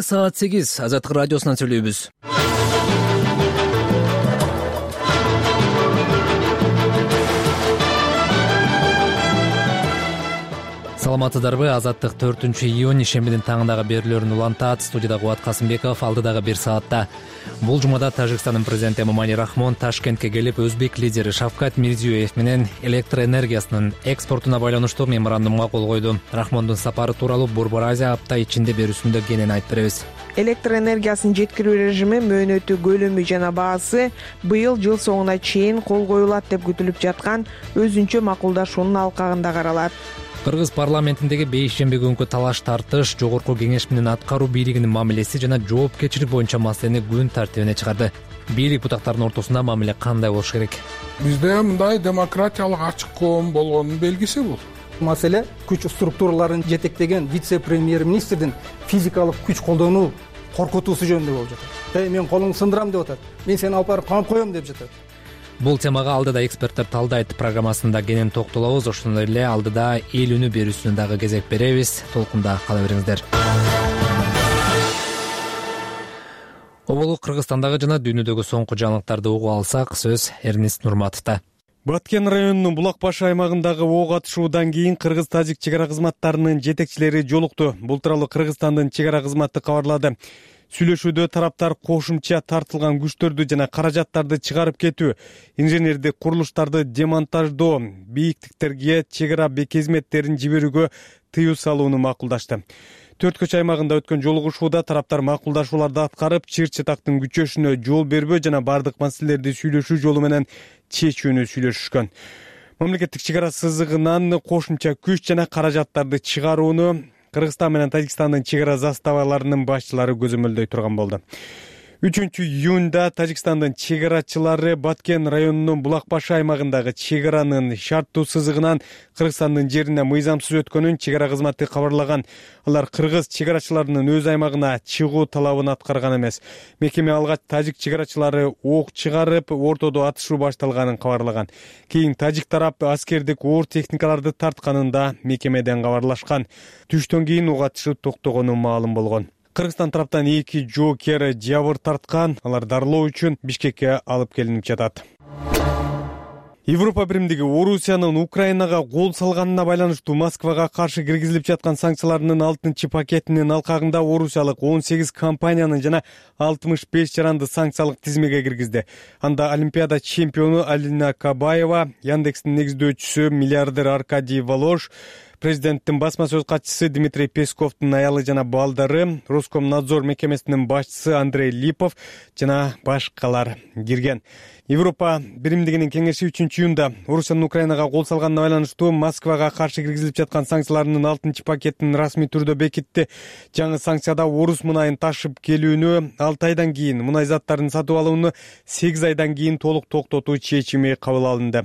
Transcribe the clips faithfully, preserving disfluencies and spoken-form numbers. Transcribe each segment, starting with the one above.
Саат сегиз Азаттык радиосунан сүйлөйбүз. Саламатсыздарбы? Азаттык төртүнчү июнь ишембидин таңындагы берүүлөрүн улантат. Студияда Кубат Касымбеков, алдыдагы бир саатта. Бул жумада Тажикстандын президенти Эмомали Рахмон Ташкентке келип, өзбек лидери Шавкат Мирзиёев менен электр энергиясынын экспортуна байланыштуу меморандумга кол койду. Рахмондун сапары тууралуу Борбор Азия апта ичинде берүүсүндө кенен айтып беребиз. Электр энергиясынын жеткирүү режими, мөөнөтү, көлөмү жана баасы быйыл жыл соңуна чейин кол коюлат деп күтүлүп жаткан өзүнчө макулдашуунун алкагында каралат. Кыргыз парламентиндеги бейшемби күнкү талаш тартыш Жогорку Кеңеш менен аткаруу бийлигинин мамилеси жана жоопкерчилик боюнча маселени күн тартибине чыгарды. Бийлик бутактарынын ортосунда мамиле кандай болуш керек? Бизде мындай демократиялык ачык коом болгонун белгиси бул. Маселе күч структураларын жетектеген вице-премьер-министрдин физикалык күч колдонуу коркутуусу жөнүндө болуп жатат. Эй, мен колуңду сындырам деп атат. Мен сени алып барып камап коем деп жатат. Бул темага алдыда эксперттер талдайт программасында кенен токтолобуз. Ошондой эле алдыда эл үнү берүүсүнө дагы кезек беребиз. Толкунда кала бериңиздер. Оболук Кыргызстандагы жана дүйнөдөгү соңку жаңылыктарды угуп алсак, сөз Эрнест Нурматовдо. Баткен районунун Булак баш аймагындагы ок атышуудан кийин кыргыз-тажик чек ара кызматтарынын жетекчилери жолукту. Бул тууралуу Кыргызстандын чек ара кызматы кабарлады. Сүйлөшүүдө тараптар кошумча тартылган күчтөрдү жана каражаттарды чыгарып кетүү, инженердик курулуштарды демонтаждоо, бийиктиктерге чек ара бекезметтерин жиберүүгө тыюу салууну макулдашты. Төрт көч аймагында өткөн жолугушууда тараптар макулдашууларды аткарып, чыр чатактын күчөшүнө жол бербөө жана бардык маселелерди сүйлөшүү жолу менен чечүүнү сүйлөшүшкөн. Мамлекеттик чек ара сызыгынан кошумча күч жана каражаттарды чыгарууну Кыргызстан менен Тажикстандын чек ара заставаларынын башчылары көзөмөлдөй турган болду. үчүнчү июнда Тажикстандын чек арачылары Баткен районунун Булак баш аймагындагы чек аранын шарттуу сызыгынан Кыргызстандын жерине мыйзамсыз өткөнүн чек ара кызматы кабарлаган. Алар кыргыз чек арачыларынын өз аймагына чыгуу талабын аткарган эмес. Мекеме алгач тажик чек арачылары ок чыгарып, ортодо атышуу башталганын кабарлаган. Кийин тажик тарап аскердик оор техникаларды тартканын да мекемеден кабарлашкан. Түштөн кийин ок атышы токтогону маалым болгон. Кыргызстан тараптан эки жоокер жабыр тарткан, алар дарылоо үчүн Бишкекке алып келинип жатат. Европа биримдиги Орусиянын Украинага кол салганына байланыштуу Москвага каршы киргизилип жаткан санкцияларынын алтынчы пакетинин алкагында орусиялык он сегиз компаниянын жана алтымыш беш жаранды санкциялык тизмеге киргизди. Анда Олимпиада чемпиону Алина Кабаева, Яндекстин негиздөөчүсү миллиардер Аркадий Волож, президенттин басма сөз катчысы Дмитрий Песковдун аялы жана балдары, Роскомнадзор мекемесинин башчысы Андрей Липов жана башкалар кирген. Европа биримдигинин кеңеши үчүнчү июнда Орусиянын Украинага кол салганына байланыштуу Москвага каршы киргизилип жаткан санкцияларынын алтынчы пакетин расмий түрдө бекитти. Жаңы санкцияда орус мунайын ташып келүүнү алты айдан кийин, мунай заттарын сатып алууну сегиз айдан кийин толук токтотуу чечими кабыл алынды.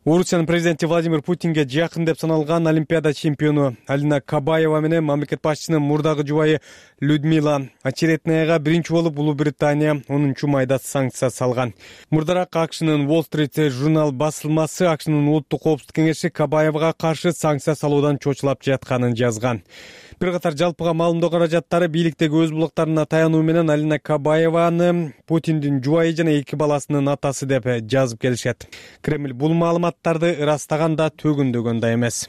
Орусиянын президенти Владимир Путинге жакын деп саналган Олимпиада чемпиону Алина Кабаева менен мамлекет башчысынын мурдагы жубайы Людмила Очеретнаяга биринчи болуп Улуу Британия онунчу майда санкция салган. Мурдараак АКШнын Wall Street журнал басылмасы АКШнын улуттук коопсуздук кеңеши Кабаевага каршы санкция салуудан чочулап жатканын жазган. Бир катар жалпыга маалымдоо каражаттары бийликтеги өз булактарына таянуу менен Алина Кабаеваны Путиндин жубайы жана эки баласынын атасы деп жазып келишет. Кремль бул маалыматтарды ырастаган да төгүндөгөн да эмес.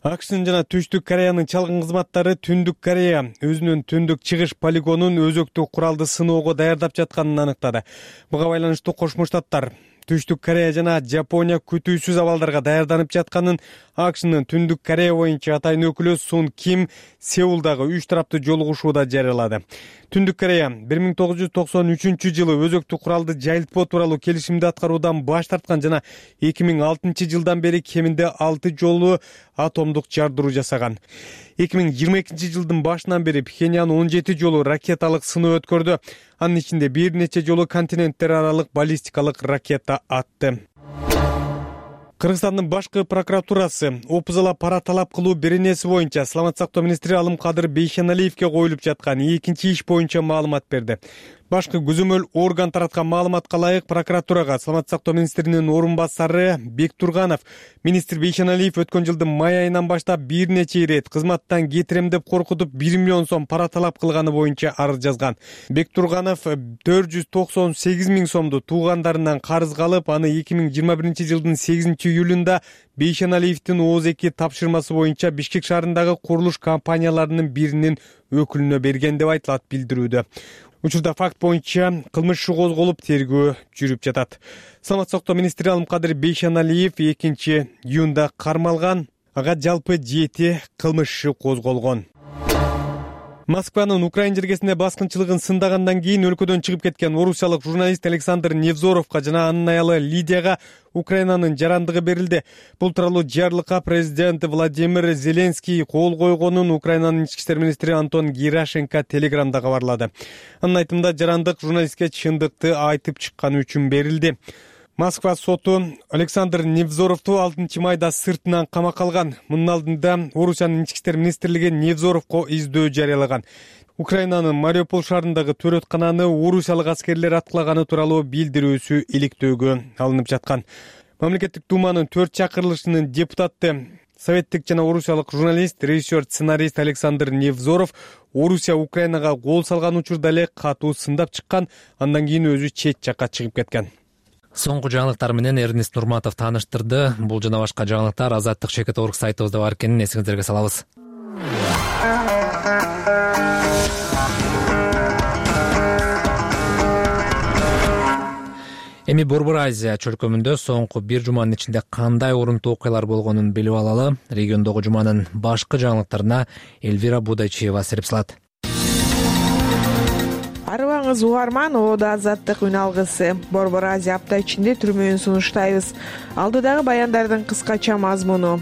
АКШнын жана Түштүк Кореянын чалгын кызматтары Түндүк Корея өзүнүн түндүк чыгыш полигонун өзөктүк куралды сыноого даярдап жатканын аныктады. Буга байланыштуу Кошмо Штаттар Түштүк Корея жана Жапония күтүүсүз абалдарга даярданып жатканын АКШнын Түндүк Корея боюнча атайын өкүлү Сун Ким Сеулдагы үч тараптуу жолугушууда жарыялады. Түндүк Корея бир миң тогуз жүз токсон үчүнчү жылы өзөктүк куралды жайылтпоо тууралуу келишимди аткаруудан баш тарткан жана эки миң алтынчы жылдан бери кеминде алты жолу атомдук жардыруу жасаган. эки миң жыйырма экинчи жылдын башынан бери Пхеньян он жети жолу ракеталык сыноо өткөрдү. Анын ичинде бир нече жолу континенттер аралык баллистикалык ракета атты. Кыргызстандын башкы прокуратурасы опузала пара талап кылуу беренеси боюнча Саламаттык сактоо министри Алымкадыр Бейшеналиевге коюлуп жаткан экинчи иш боюнча маалымат берди. Башкы көзөмөл орган тараткан маалыматка ылайык прокуратурага саламаттык сактоо министринин орун басары Бектурганов министр Бейшеналиев өткөн жылдын май айынан баштап бир нече ирет кызматтан кетирем деп коркутуп бир миллион сом пара талап кылганы боюнча арыз жазган. Бектурганов төрт жүз токсон сегиз миң сомду туугандарынан карызга алып, аны эки миң жыйырма биринчи жылдын сегизинчи июлунда Бейшеналиевдин ооз эки тапшырмасы боюнча Бишкек шаарындагы курулуш компанияларынын биринин өкүлүнө берген деп айтылат билдирүүдө. Учурда факт боюнча кылмыш иши козголуп, тергөө жүрүп жатат. Саламаттык сактоо министри Алымкадыр Бейшеналиев экинчи июнда кармалган, ага жалпы жети кылмыш иши козголгон. Москванын Украин жергесинде баскынчылыгын сындагандан кийин өлкөдөн чыгып кеткен орусиялык журналист Александр Невзоровго жана анын аялы Лидияга Украинанын жарандыгы берилди. Бул тууралуу жарлыкка президент Владимир Зеленский кол койгонун Украинанын ички иштер министри Антон Герашенко телеграмда кабарлады. Анын айтымында жарандык журналистке чындыкты айтып чыкканы үчүн берилди. Москва соту Александр Невзоровду алтынчы майда сыртынан камакка алган. Мунун алдында Орусиянын ички иштер министрлиги Невзоровго издөө жарыялаган. Украинанын Мариуполь шаарындагы төрөткананы орусиялык аскерлер аткылаганы тууралуу билдирүүсү иликтөөгө алынып жаткан. Мамлекеттик думанын төрт чакырылышынын депутаты, советтик жана орусиялык журналист, режиссер, сценарист Александр Невзоров Орусия Украинага кол салган учурда эле катуу сындап чыккан, андан кийин өзү чет жакка чыгып кеткен. Соңку жаңылыктар менен Эрнест Нурматов тааныштырды. Бул жана башка жаңылыктар Азаттык чекит точка орг сайтыбызда бар экенин эсиңиздерге салабыз. Эми Борбор Азия чөлкөмүндө соңку бир жуманын ичинде кандай орунтуу окуялар болгонун билип алалы. Региондогу жуманын башкы жаңылыктарына Эльвира Будайчиева серип салат. Арыбаңыз угарман, Ода Азаттык үн алгысы. Борбор Азия апта ичинде түрмөөн сунуштайбыз. Алдыдагы баяндардын кыскача мазмуну.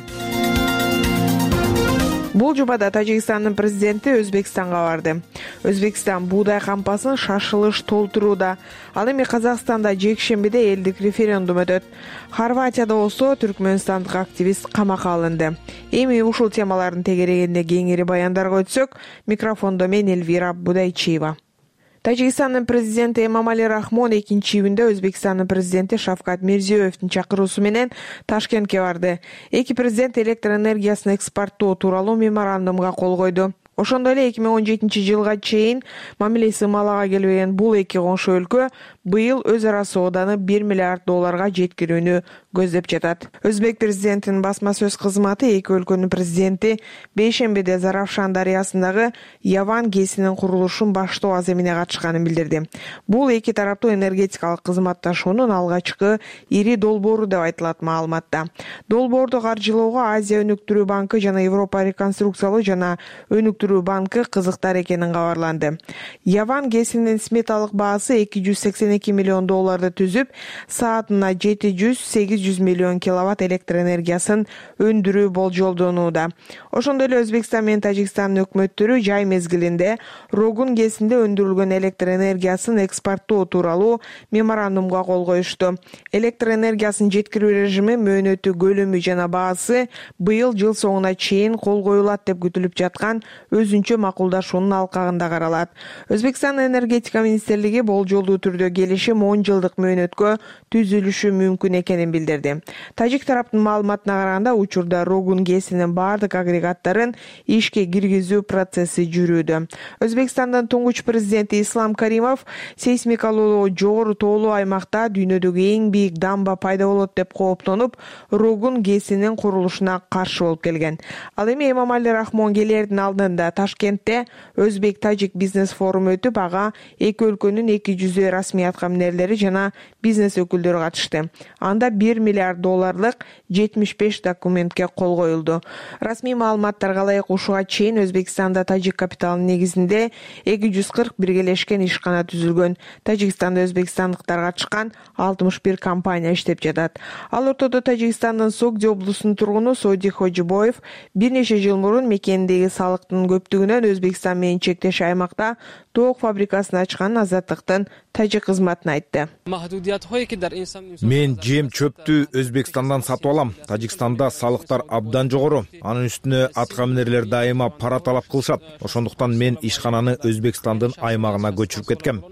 Бул жумада Тажикстандын президенти Өзбекстанга барды. Өзбекстан буудай кампасын шашылыш толтурууда. Ал эми Казакстанда жекшембиде элдик референдум өтөт. Хорватияда болсо түркмөнстандык активист камакка алынды. Эми ушул темалардын тегерегинде кеңири баяндарга өтсөк, микрофондо мен Эльвира Будайчиева. Тажикстандын президенти Эмомали Рахмон экинчи июнда Өзбекстандын президенти Шавкат Мирзиёевдин чакыруусу менен Ташкентке барды. Эки президент электр энергиясын экспорттоо тууралуу меморандумга кол койду. Ошондой эле эки миң он жетинчи жылга чейин мамилеси ымалага келбеген бул эки коңшу өлкө быйыл өз ара сооданы бир миллиард долларга жеткирүүнү көздөп жатат. Өзбек президентинин басма сөз кызматы эки өлкөнүн президенти бейшембиде Заравшан дарыясындагы Яван ГЭСинин курулушун баштоо аземине катышканын билдирди. Бул эки тараптуу энергетикалык кызматташуунун алгачкы ири долбоору деп айтылат маалыматта. Долбоорду каржылоого Азия өнүктүрүү банкы жана Европа реконструкциялоо жана өнүктүрүү банкы кызыктар экенин кабарланды. Яван ГЭСинин сметалык баасы эки жүз сексен эки миллион долларды түзүп, саатына жети жүз сегиз жүз миллион киловатт электр энергиясын өндүрүү болжолдонууда. Ошондой эле Өзбекстан менен Тажикстандын өкмөттөрү жай мезгилинде Рогун ГЭСинде өндүрүлгөн электр энергиясын экспорттоо тууралуу меморандумга кол коюшту. Электр энергиясын жеткирүү режими, мөөнөтү, көлөмү жана баасы быйыл жыл соңуна чейин кол коюлат деп күтүлүп жаткан өзүнчө макулдашуунун алкагында каралат. Өзбекстан энергетика министрлиги болжолдуу түрдө келишим он жылдык мөөнөткө түзүлүшү мүмкүн экенин билдирди. Тажик тараптын маалыматына караганда, учурда Рогун ГЭСинин бардык агрегаттарын ишке киргизүү процесси жүрүүдө. Өзбекстандын туңгуч президенти Ислам Каримов сейсмикалуу жогору тоолуу аймакта дүйнөдөгү эң бийик дамба пайда болот деп кооптонуп, Рогун ГЭСинин курулушуна каршы болуп келген. Ал эми Эмомали Рахмон келердин алдында Ташкентте Өзбек-Тажик бизнес форуму өтүп, ага эки өлкөнүн эки жүздөй расмий аткаминерлери жана бизнес өкүлдөрү катышты. Анда бир миллиард долларлык жетимиш беш документке кол коюлду. Расмий маалыматтарга ылайык, ушуга чейин Өзбекстанда Тажик капиталынын негизинде эки жүз кырк биргелешкен ишкана түзүлгөн. Тажикстанда өзбекстандыктар катышкан алтымыш бир компания иштеп жатат. Ал ортодо Тажикстандын Согди облусунун тургуну Соди Хожибоев бир нече жыл мурун мекендеги салыктын көптүгүнөн Өзбекстан менен чектеш аймакта тоок фабрикасын ачканын Азаттыктын тажик кызмат кызматын айтты. Мен жем чөптү Өзбекстандан сатып алам. Тажикстанда салыктар абдан жогору. Анын үстүнө атка минерлер дайыма пара талап кылышат. Ошондуктан мен ишкананы Өзбекстандын аймагына көчүрүп кеткем,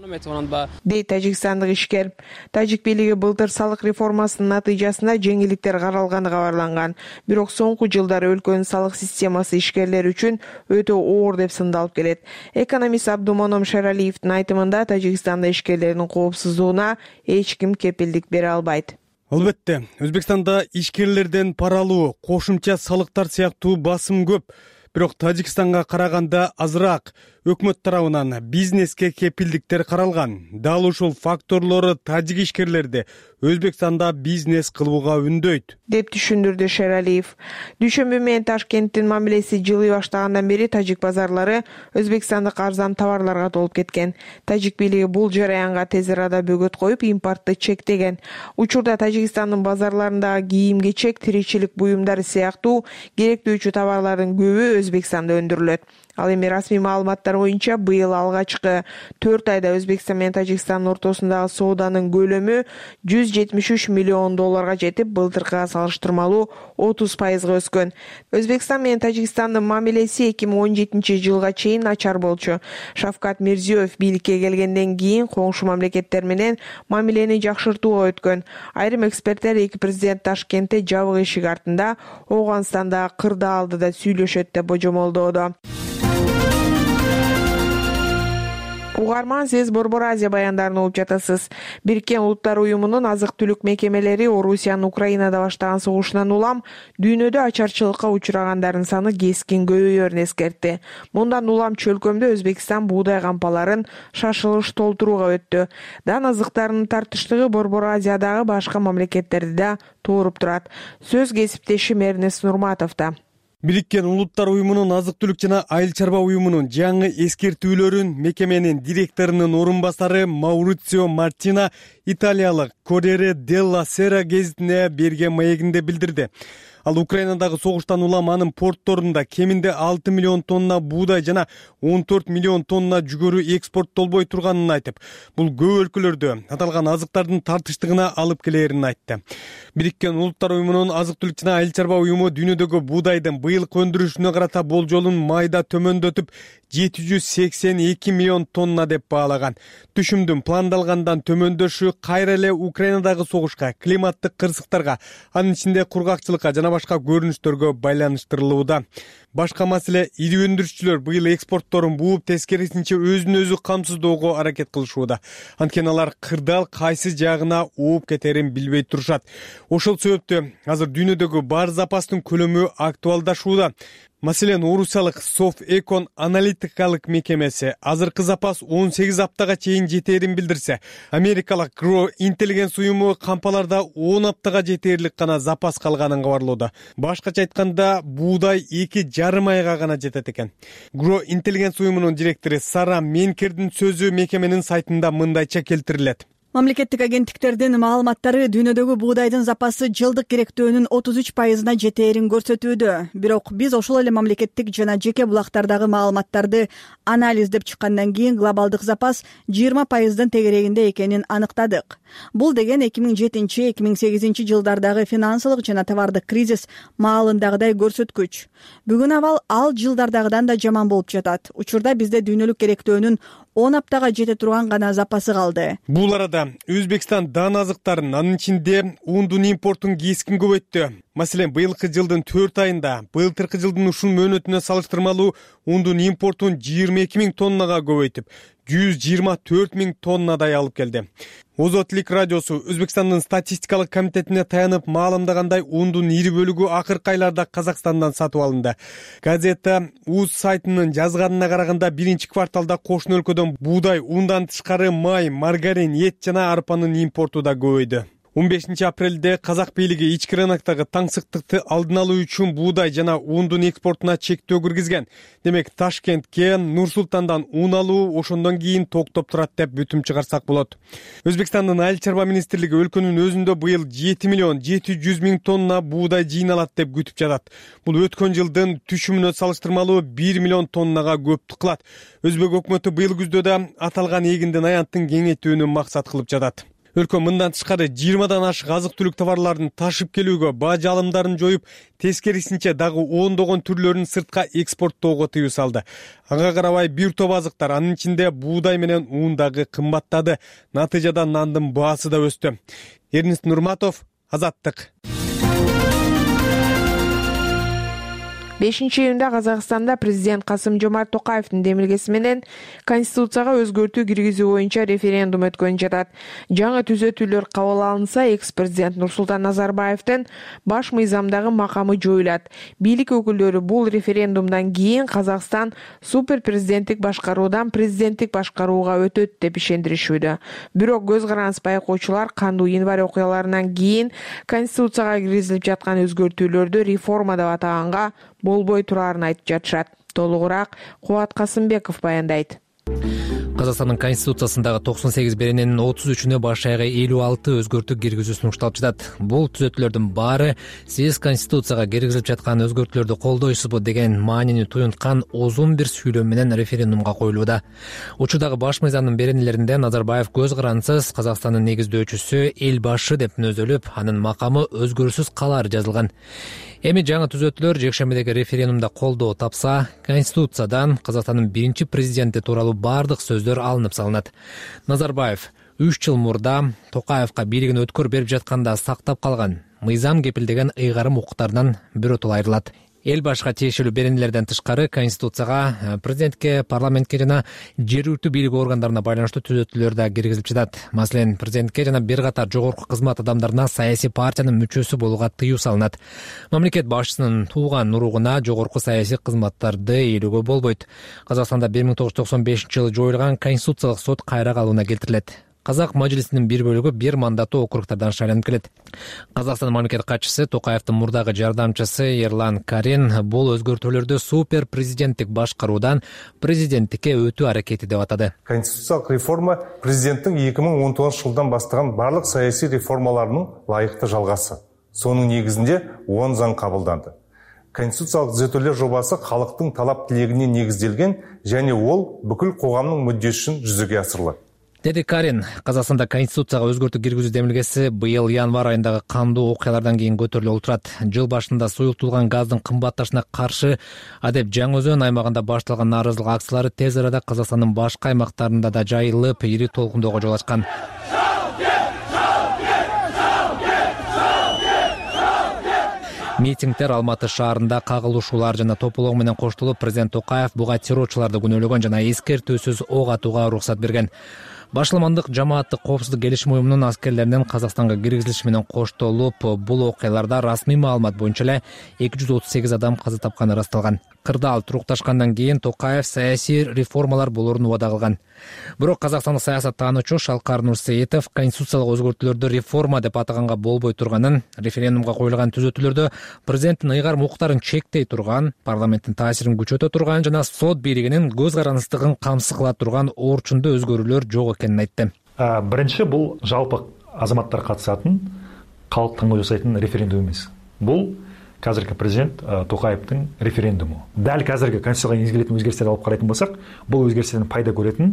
дейт тажикстандык ишкер. Тажик бийлиги былтыр салык реформасынын натыйжасында жеңилдиктер каралганы кабарланган. Бирок соңку жылдары өлкөнүн салык системасы ишкерлер үчүн өтө оор деп сындалып келет. Экономист Абдумоном Шералиевдин айтымында Тажикстанда ишкерлердин коопсуздугуна эч ким кепилдик бере албайт. Албетте, Өзбекстанда ишкерлерден пара алуу, кошумча салыктар сыяктуу басым көп. Бирок Тажикстанга караганда азыраак. Өкмөт тарабынан бизнеске кепилдиктер каралган. Дал ушул факторлору тажик ишкерлерди Өзбекстанда бизнес кылууга үндөйт, деп түшүндүрдү Шералиев. Дүйшөмбү менен Ташкенттин мамилеси жылый баштагандан бери тажик базарлары өзбекстандык арзан товарларга толуп кеткен. Тажик бийлиги бул жараянга тез арада бөгөт коюп, импортты чектеген. Учурда Тажикстандын базарларындагы кийим-кечек, тиричилик буюмдары сыяктуу керектүүчү товарлардын көбү Өзбекстанда өндүрүлөт. Ал эми расмий маалыматтар боюнча быйыл алгачкы төрт айда Өзбекстан менен Тажикстандын ортосундагы сооданын көлөмү жүз жетимиш үч миллион долларга жетип, былтыркыга салыштырмалуу отуз пайызга өскөн. Өзбекстан менен Тажикстандын мамилеси эки миң он жетинчи жылга чейин начар болчу. Шавкат Мирзиёев бийликке келгенден кийин коңшу мамлекеттер менен мамилени жакшыртууга өткөн. Айрым эксперттер эки президент Ташкентте жабык эшик артында Ооганстандагы кырдаалдыда сүйлөшөт деп божомолдоодо. Угарман, сиз Борбор Азия баяндарын угуп жатасыз. Бириккен Улуттар уюмунун азык-түлүк мекемелери Орусиянын Украинада баштаган согушунан улам дүйнөдө ачарчылыкка учурагандардын саны кескин көбөйөрүн эскертти. Мындан улам чөлкөмдө Өзбекстан буудай кампаларын шашылыш толтурууга өттү. Дан азыктарынын тартыштыгы Борбор Азиядагы башка мамлекеттерди да тууруп турат. Сөз кесиптешим Эрнест Нурматовдо. Бириккен Улуттар уюмунун азык-түлүк жана айыл чарба уюмунун жаңы эскертүүлөрүн мекеменин директорунун орун басары Маурицио Мартина италиялык Корьере делла Сера гезитине берген маегинде билдирди. Ал Украинадагы согуштан улам анын портторунда кеминде алты миллион тонна буудай жана он төрт миллион тонна жүгөрү экспорттолбой турганын айтып, бул көп өлкөлөрдө аталган азыктардын тартыштыгына алып келерин айтты. Бириккен Улуттар уюмунун азык-түлүк жана айыл чарба уюму дүйнөдөгү буудайдын быйылкы өндүрүшүнө карата болжолун майда төмөндөтүп жети жүз сексен эки миллион тонна деп баалаган. Түшүмдүн пландалгандан төмөндөшү кайра эле Украинадагы согушка, климаттык кырсыктарга, анын ичинде кургакчылыкка жана башка көрүнүштөргө байланыштырылууда. Башка маселе, ири өндүрүшчүлөр быйыл экспортторун бууп, тескерисинче өзүн өзү камсыздоого аракет кылышууда. Анткени алар кырдаал кайсы жагына ууп кетерин билбей турушат. Ошол себептен азыр дүйнөдөгү бар запастын көлөмү актуалдашууда. Маселен, орусиялык Софэкон аналитикалык мекемеси азыркы запас он сегиз аптага чейин жетерин билдирсе, америкалык Grow Intelligence уюму кампаларда он аптага жетерлик гана запас калганын кабарлоодо. Башкача айтканда, буудай эки жарым айга гана жетет экен. Grow Intelligence уюмунун директору Сара Менкердин сөзү мекеменин сайтында мындайча келтирилет. Мамлекеттик агенттиктердин маалыматтары дүйнөдөгү буудайдын запасы жылдык керектөөнүн отуз үч пайызына жетээрин көрсөтүүдө. Бирок биз ошол эле мамлекеттик жана жеке булактардагы маалыматтарды анализдеп чыккандан кийин глобалдык запас жыйырма пайыздын тегерегинде экенин аныктадык. Бул деген эки миң жетинчи эки миң сегизинчи жылдардагы финансылык жана товардык кризис маалындагыдай көрсөткүч. Бүгүн абал ал жылдардагыдан да жаман болуп жатат. Учурда бизде дүйнөлүк керектөөнүн он аптага жете турган гана запасы калды. Бул арада Өзбекстан дан азыктарын, анын ичинде ундун импортун кескин көбөйттү. Маселен, быйылкы жылдын төрт айында былтыркы жылдын ушул мөөнөтүнө салыштырмалуу ундун импортун жыйырма эки миң тоннага көбөйтүп, жүз жыйырма төрт миң тоннадай алып келди. Озотлик радиосу Өзбекстандын статистикалык комитетине таянып маалымдагандай, ундун ири бөлүгү акыркы айларда Казакстандан сатып алынды. Газета УЗ сайтынын жазганына караганда, биринчи кварталда кошуна өлкөдөн буудай, ундан тышкары май, маргарин, эт жана арпанын импорту да көбөйдү. он бешинчи апрелде казак бийлиги ички рыноктогу таңсыктыкты алдын алуу үчүн буудай жана ундун экспортуна чектөө киргизген. Демек Ташкентке Нур Султандан ун алуу ошондон кийин токтоп турат деп бүтүм чыгарсак болот. Өзбекстандын айыл чарба министрлиги өлкөнүн өзүндө быйыл жети миллион жети жүз миң тонна буудай жыйналат деп күтүп жатат. Бул өткөн жылдын түшүмүнө салыштырмалуу бир миллион тоннага көп кылат. Өзбек өкмөтү быйыл күздө да аталган эгиндин аянтын кеңейтүүнү максат кылып жатат. Өлкө мындан тышкары жыйырмадан ашык азык-түлүк товарларын ташып келүүгө баа жалымдарын жоюп, тескерисинче дагы ондогон түрлөрүн сыртка экспорттоого тыюу салды. Ага карабай бир топ азыктар, анын ичинде буудай менен ун дагы кымбаттады. Натыйжада нандын баасы да өстү. Эрнест Нурматов, Азаттык. бешинчи июнда Казакстанда президент Касым-Жомарт Токаевдин демилгеси менен Конституцияга өзгөртүү киргизүү боюнча референдум өткөнүп жатат. Жаңы түзөтүүлөр кабыл алынса, экс-президент Нурсултан Назарбаевдин баш мыйзамдагы макамы жоюлат. Бийлик өкүлдөрү бул референдумдан кийин Казакстан супер президенттик башкаруудан президенттик башкарууга өтөт деп ишендиришүүдө. Бирок көз караныс байкоочулар кандуу январь окуяларынан кийин Конституцияга киргизилип жаткан өзгөртүүлөрдү реформа деп атаганга болбой турарын айтып жатышат. Толугураак Кубат Касымбеков баяндайт. Казакстандын конституциясындагы токсон сегиз берененин отуз үчүнө баш аягы элүү алты өзгөртүү киргизүү сунушталып жатат. Бул түзөтүүлөрдүн баары сиз конституцияга киргизилип жаткан өзгөртүүлөрдү колдойсузбу деген маанини туюнткан узун бир сүйлөм менен референдумга коюлууда. Учурдагы баш мыйзамдын беренелеринде Назарбаев көз карансыз Казакстандын негиздөөчүсү эл башы деп мүнөзөлүп, анын макамы өзгөрүүсүз калары жазылган. Эми жаңы түзөтүүлөр жекшембидеги референдумда колдоо тапса, Конституциядан Казакстандын биринчи президенти тууралуу бардык сөздөр алынып салынат. Назарбаев үч жыл мурда Токаевка бийлигин өткөр берип жатканда сактап калган мыйзам кепилдеген ыйгарым укуктарынан биротоло айрылат. Эл башка тиешелүү беренелерден тышкары Конституцияга президентке, парламентке жана жергиликтүү бийлик органдарына байланыштуу түзөтүүлөр да киргизилип жатат. Маселен, президентке жана бир катар жогорку кызмат адамдарына саясий партиянын мүчөсү болууга тыюу салынат. Мамлекет башчысынын тууган уругуна жогорку саясий кызматтарды ээлөөгө болбойт. Казакстанда бир миң тогуз жүз токсон бешинчи жылы жоюлган Конституциялык сот кайра калууна келтирилет. Казак мажлисинин бир бөлүгү бир мандаттуу округтардан шайланып келет. Казакстан мамлекет катчысы Токаевдин мурдагы жардамчысы Ерлан Карин бул өзгөртүүлөрдү супер президенттик башкаруудан президенттикке өтүү аракети деп атады. Конституциялык реформа президенттин эки миң он тогузунчу жылдан баштаган барлык саясий реформаларынын лайыктуу жалгасы. Сонун негизинде он заң кабылданды. Конституциялык түзөтүүлөр жобасы калктын талап тилегине негизделген және ол бүкүл коомдун мүддесин жүзөгө асырылат. Деди Карин, Казакстанда Конституцияга өзгөртүү киргизүү демилгеси быйыл январь айындагы кандуу окуялардан кийин көтөрүлүп отурат. Жыл башында суюктулган газдын кымбатташына каршы адеп Жаңы Өзөн аймагында башталган нааразылык акциялары тез арада Казакстандын башка аймактарында да жайылып, ири толкундоого жол ачкан. Митингдер Алматы шаарында кагылышуулар жана тополоо менен коштолуп, президент Токаев буга террорчуларды күнөөлөгөн жана эскертүүсүз ок атууга уруксат берген. Башламандык жамааттык коопсуздук келишим уюмунун аскерлеринин Казакстанга киргизилиши менен коштолуп, бул окуяларда расмий маалымат боюнча эле эки жүз отуз сегиз адам каза тапканы ырасталган. Кырдаал турукташкандан кийин Токаев саясий реформалар болоорун убада кылган. Бирок казакстандык саясаттануучу Шалкар Нурсеитов конституциялык өзгөртүүлөрдү реформа деп атаганга болбой турганын, референдумга коюлган түзөтүүлөрдө президенттин ыйгарым укуктарын чектей турган, парламенттин таасирин күчөтө турган жана сот бийлигинин көз карансыздыгын камсыз кыла турган орчундуу өзгөрүүлөр жок экенин айтты. Биринчи, бул жалпы азаматтар катышатын, калк таңдоо жасайтын референдум эмес. Бул казыркы президент Токаевдин референдуму. Дал казыркы конституцияга энгизилген өзгөртүүлөрдү алып карайтын болсак, бул өзгөртүүлөрдөн пайда көрөтүн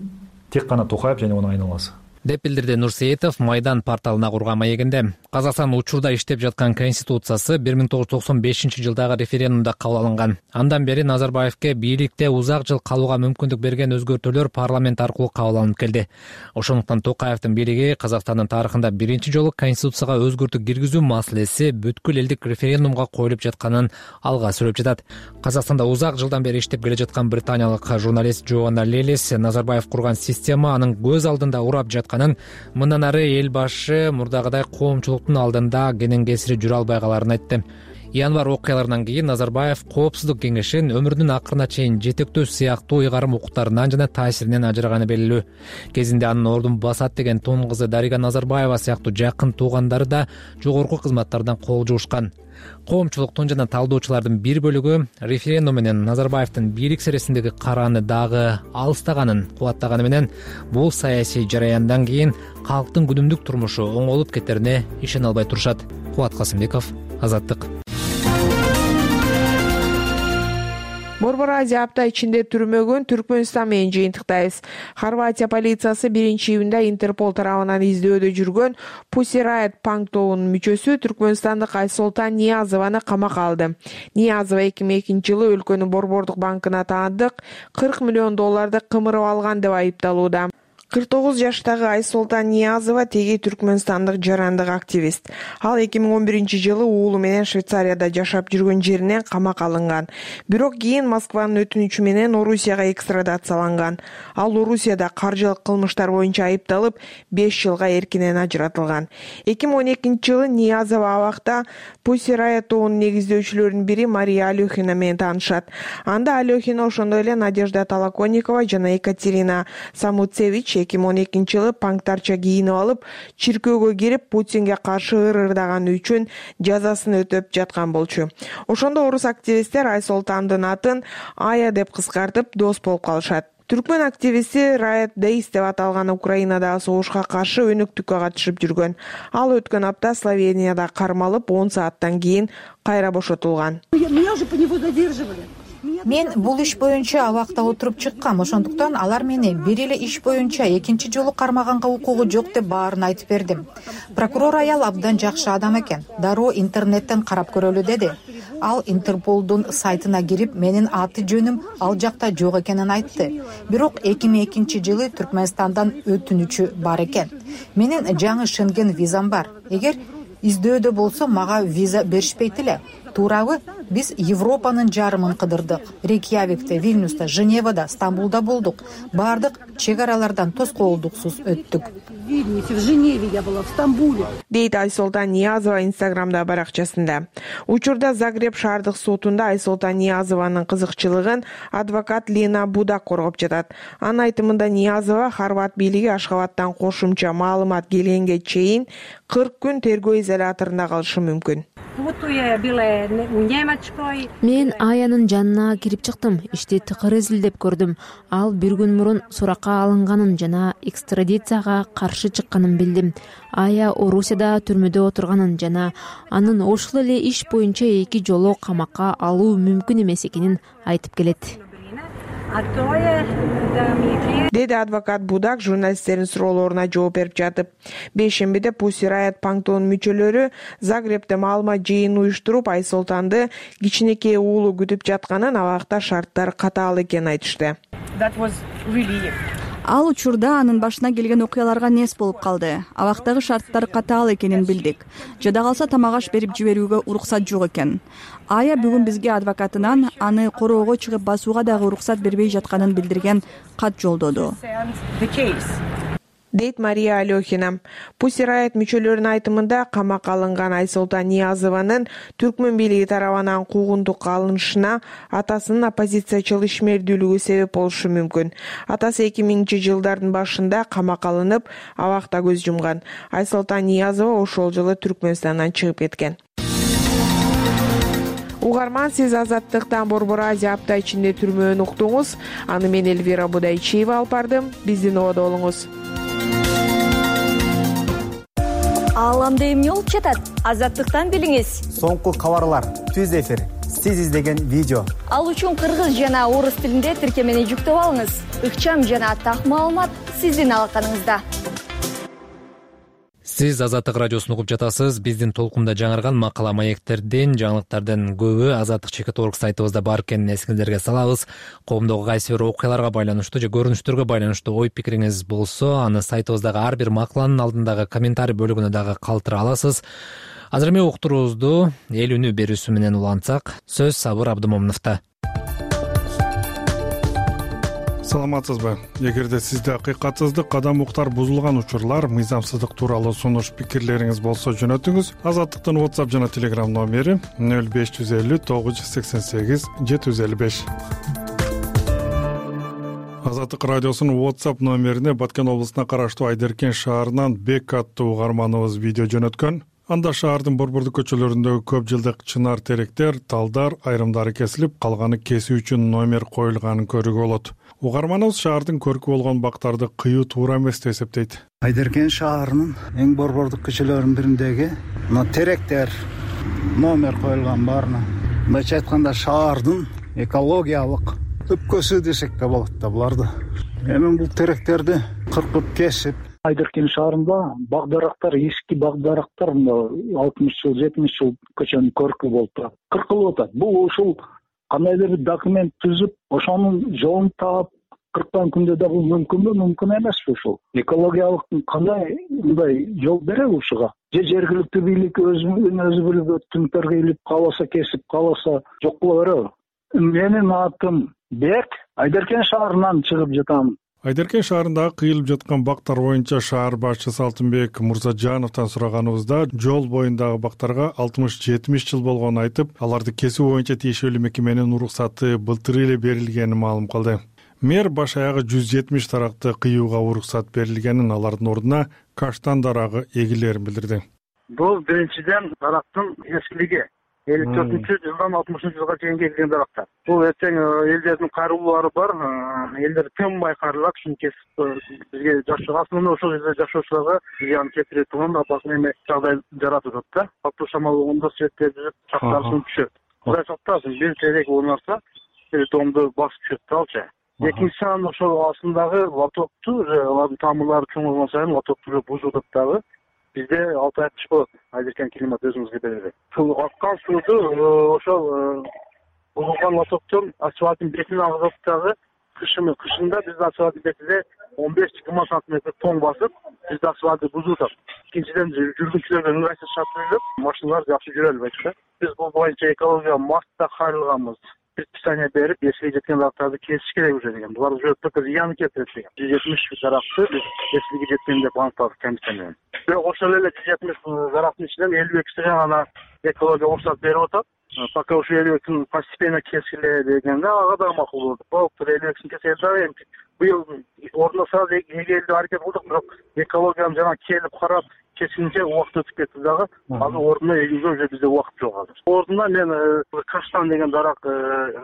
тек гана Токаев жана анын айналасы. Деп билдирди Нурсеитов Майдан порталына курган маегинде. Казакстан учурда иштеп жаткан конституциясы бир миң тогуз жүз токсон бешинчи жылдагы референдумда кабыл алынган. Андан бери Назарбаевке бийликте узак жыл калууга мүмкүндүк берген өзгөртүүлөр парламент аркылуу кабыл алынып келди. Ошондуктан Токаевдин бийлиги Казакстандын тарыхында биринчи жолу конституцияга өзгөртүү киргизүү маселеси бүткүл элдик референдумга коюлуп жатканын алга сүрөп жатат. Казакстанда узак жылдан бери иштеп келе жаткан британиялык журналист Джоанна Лелис Назарбаев курган система анын көз алдында урап жатканын, мындан ары эл башы мурдагыдай коомчулуктун алдында кенен кесири жүрө албай каларын айтты. январь окуяларынан кийин Назарбаев Коопсуздук кеңешин өмүрүнүн акырына чейин жетектөө сыяктуу ыйгарым укуктарынан жана таасиринен ажыраганы белгилүү. Кезинде анын ордун басат деген тун кызы Дарига Назарбаева сыяктуу жакын туугандары да жогорку кызматтардан кол жуушкан. Коомчулуктун жана талдоочулардын бир бөлүгү референдум менен Назарбаевдин бийлик сересиндеги карааны дагы алыстаганын кубаттаганы менен бул саясий жараяндан кийин калктын күнүмдүк турмушу оңолуп кетерине ишене албай турушат. Кубат Касымбеков, Азаттык. Борбор Азия апта ичинде түрмөгөн Түркмөнстан менен жыйынтыктайбыз. Хорватия полициясы биринчи июнда Интерпол тарабынан издөөдө жүргөн Pussy Riot панк тобунун мүчөсү түркмөнстандык Айсолтан Ниязованы камакка алды. Ниязова эки миң экинчи жылы өлкөнүн борбордук банкына таандык кырк миллион долларды кымырып алган деп айыпталууда. кырк тогуз жаштагы Айсолтан Ниязова теги түркмөнстандык жарандык активист. Ал эки миң он биринчи жылы уулу менен Швейцарияда жашап жүргөн жеринен камакка алынган. Бирок кийин Москванын өтүнүчү менен Орусияга экстрадацияланган. Ал Орусияда каржылык кылмыштар боюнча айыпталып, беш жылга эркинен ажыратылган. эки миң он экинчи жылы Ниязова абакта Pussy Riot тобунун негиздөөчүлөрүнүн бири Мария Алехина менен таанышат. Анда Алехина ошондой эле Надежда Толоконникова жана Екатерина Самуцевич эки миң он экинчи жылы панктарча кийинип алып, чиркөөгө кирип Путинге каршы ырырдаганы үчүн жазасын өтөп жаткан болчу. Ошондо орус активисттер Айсолтандын атын Ая деп кыскартып дос болуп калышат. Түркмөн активисти Riot Days деп аталган Украинадагы согушка каршы өнөктүккө катышып жүргөн. Ал өткөн апта Словенияда кармалып, он сааттан кийин кайра бошотулган. Мен бул иш боюнча абакта отуруп чыккам, ошондуктан алар мени бир эле иш боюнча экинчи жолу кармаганга укугу жок деп баарын айтып бердим. Прокурор аял абдан жакшы адам экен. Дароо интернеттен карап көрөлү деди. Ал Интерполдун сайтына кирип, менин аты жөнүм ал жакта жок экенин айтты. Бирок эки миң экинчи жылы Түркмөнстандан өтүнүчү бар экен. Менин жаңы Шенген визам бар. Эгер издөөдө болсо мага виза беришпейт эле. Туурабы? Биз Европанын жарымын кыдырдык. Рейкьявикте, Вильнюста, Женевада, Стамбулда болдук. Бардык чек аралардан тоскоолдуксуз өттүк. В Женеве я была, в Стамбуле. Дейт Айсолтан Ниязова Инстаграмда баракчасында. Учурда Загреб шаардык сотунда Айсолтан Ниязованын кызыкчылыгын адвокат Лена Будак коргоп жатат. Анын айтымында Ниязова Хорват бийлиги Ашхабадтан кошумча маалымат келгенге чейин кырк күн тергөө изоляторунда калышы мүмкүн. Мен Аянын жанына кирип чыктым. Ишти тыкыр изилдеп көрдүм. Ал бир күн мурун суракка алынганын жана экстрадицияга каршы чыкканын билдим. Ая Орусияда түрмөдө отурганын жана анын ошол эле иш боюнча эки жолу камакка алуу мүмкүн эмес экенин айтып келет. Деди адвокат Будак журналисттердин суроолоруна жооп берип жатып. Бейшембиде Pussy Riot панк тобунун мүчөлөрү Загребде маалымат жыйынын уюштуруп, Айсолтанды кичинекей уулу күтүп жатканын, абакта шарттар катаал экенин айтышты. Ал учурда анын башына келген окуяларга нес болуп калды. Абактагы шарттар катаал экенин билдик. Жада калса тамак аш берип жиберүүгө уруксат жок экен. Ая бүгүн бизге адвокатынан аны короого чыгып басууга дагы уруксат бербей жатканын билдирген кат жолдоду. Дейт Мария Алехина. Pussy Riot мүчөлөрүнүн айтымында камакка алынган Айсолтан Ниязованын түркмөн бийлиги тарабынан куугунтукка алынышына атасынын оппозициячыл ишмердүүлүгү себеп болушу мүмкүн. Атасы эки миңинчи жылдардын башында камакка алынып, абакта көз жумган. Айсолтан Ниязова ошол жылы Түркмөнстандан чыгып кеткен. Угарман, сиз Азаттыктан Борбор Азия апта ичинде түрмөөнү уктуңуз. Аны мен Эльвира Будайчиева алып бардым. Биздин ободо болуңуз. Ааламда эмне болуп жатат? Азаттыктан билиңиз. Соңку кабарлар, түз эфир, сиз издеген видео. Ал үчүн кыргыз жана орус тилинде тиркемени жүктөп алыңыз. Ыкчам жана так маалымат сиздин алаканыңызда. Сиз Азаттык радиосун угуп жатасыз. Биздин толкунда жаңырган макала маектердин, жаңылыктардын көбү азаттык чекит орг сайтыбызда бар экенин эсиңиздерге салабыз. Коомдогу кайсы бир окуяларга байланыштуу же көрүнүштөргө байланыштуу ой пикириңиз болсо, аны сайтыбыздагы ар бир макаланын алдындагы комментарий бөлүгүнө дагы калтыра аласыз. Азыр эми уктуруубузду эл үнү берүүсү менен улантсак, сөз Сабыр Абдымомуновдо. саламатсызбы? Эгерде сизде акыйкатсыздык, кадам уктар бузулган учурлар, мыйзамсыздык тууралуу сунуш пикирлериңиз болсо жөнөтүңүз. Азаттыктын WhatsApp жана Telegram номери нөл беш жүз элүү тогуз жүз сексен сегиз жети жүз элүү беш. Азаттык радиосунун WhatsApp номерине Баткен облусуна караштуу Айдеркен шаарынан Бек аттуу угарманыбыз видео жөнөткөн. Анда шаардын борбордук көчөлөрүндөгү көп жылдык чынар теректер, талдар айрымдары кесилип, калганы кесүү үчүн номер коюлганын көрүүгө болот. Угарманыбыз шаардын көркү болгон бактарды кыюу туура эмес деп эсептейт. Айдеркен шаарынын эң борбордук көчөлөрүнүн бириндеги мына теректер номер коюлган баарына. Мындайча айтканда шаардын экологиялык өпкөсү десек да болот да буларды. Эми бул теректерди кыркып кесип, Айдеркен шаарында бак-дарактар, эски бак-дарактар алтымыш жыл, жетимиш жыл көчөнүн көркү болуп турат. Кыркылып атат. Бул ушул кандайдыр бир документ түзүп, ошонун жолун таап кырккан күндө да бул мүмкүнбү, мүмкүн эмеспи ушул? Экологиялык кандай мындай жол береби ушуга? Же жергиликтүү бийлик өзүн өзү билип өттүмтөргө илип кааласа кесип, кааласа жок кыла береби? Менин атым Бек, Айдеркен шаарынан чыгып жатам. Айдеркен шаарындагы кыйылып жаткан бактар боюнча шаар башчысы Алтынбек Мурзажановдон сураганыбызда жол боюндагы бактарга алтымыш жетимиш жыл болгонун айтып, аларды кесүү боюнча тиешелүү мекеменин уруксаты былтыр эле берилгенин маалым кылды. Мэр баш аягы жүз жетимиш даракты кыюуга уруксат берилгенин, алардын ордуна каштан дарагы эгилерин билдирди. Бул биринчиден дарактын эскилиги. элүү төртүнчү жылдан алтымышынчы жылга чейин келген дарактар. Бул эртең элдердин каруулары бар, элдер тынбай карылат, ушуну кесип бизге жашоо, асылында ошол жерде жашоочуларга зыян келтире турган апасына эме жагдай жаратып атат да. Катуу шамал болгондо светтер жүрүп, чактар сынып түшөт. Кудай сактасын, бир терек оонарса, домду басып түшөт да алча. Экинчиси анан ошол астындагы лотокту, алардын тамырлары чоңойгон сайын лотокту бузуп атат дагы. Бизде алты ай кыш болот, Айдеркен климат өзүңүзгө берет. Суу аккан сууду ошол бузулган лотоктон асфальттын бетине агызып дагы кышын кышында биздин асфальттын бетине он беш жыйырма сантиметр тоң басып, бизде асфальтты бузуп атат. Экинчиден жүргүнчүлөргө ыңгайсыз шарт машиналар жакшы жүрө албайт да. Биз бул боюнча экология мастта кайрылганбыз. Предписание берип, эскиге жеткен дарактарды кесиш керек уже деген. Булар уже только зыян келтирет деген. жүз жетимиш даракты биз эскиге жеткен деп аныктадык комиссия менен. Бирок ошол эле жүз жетимиш дарактын ичинен элүү экиси гана экология уруксат берип атат. Пока ушу элүү экисин постепенно кескиле дегенде ага да макул болду. Болуптур, элүү экисин кесели дагы эми быйыл ордуна сразу эгелүү аракет кылдык, бирок экологияны жана келип карап кескинче убакыт өтүп кетти дагы. Азыр ордуна эгүүгө уже бизде убакыт жок азыр. Ордуна мен каштан деген дарак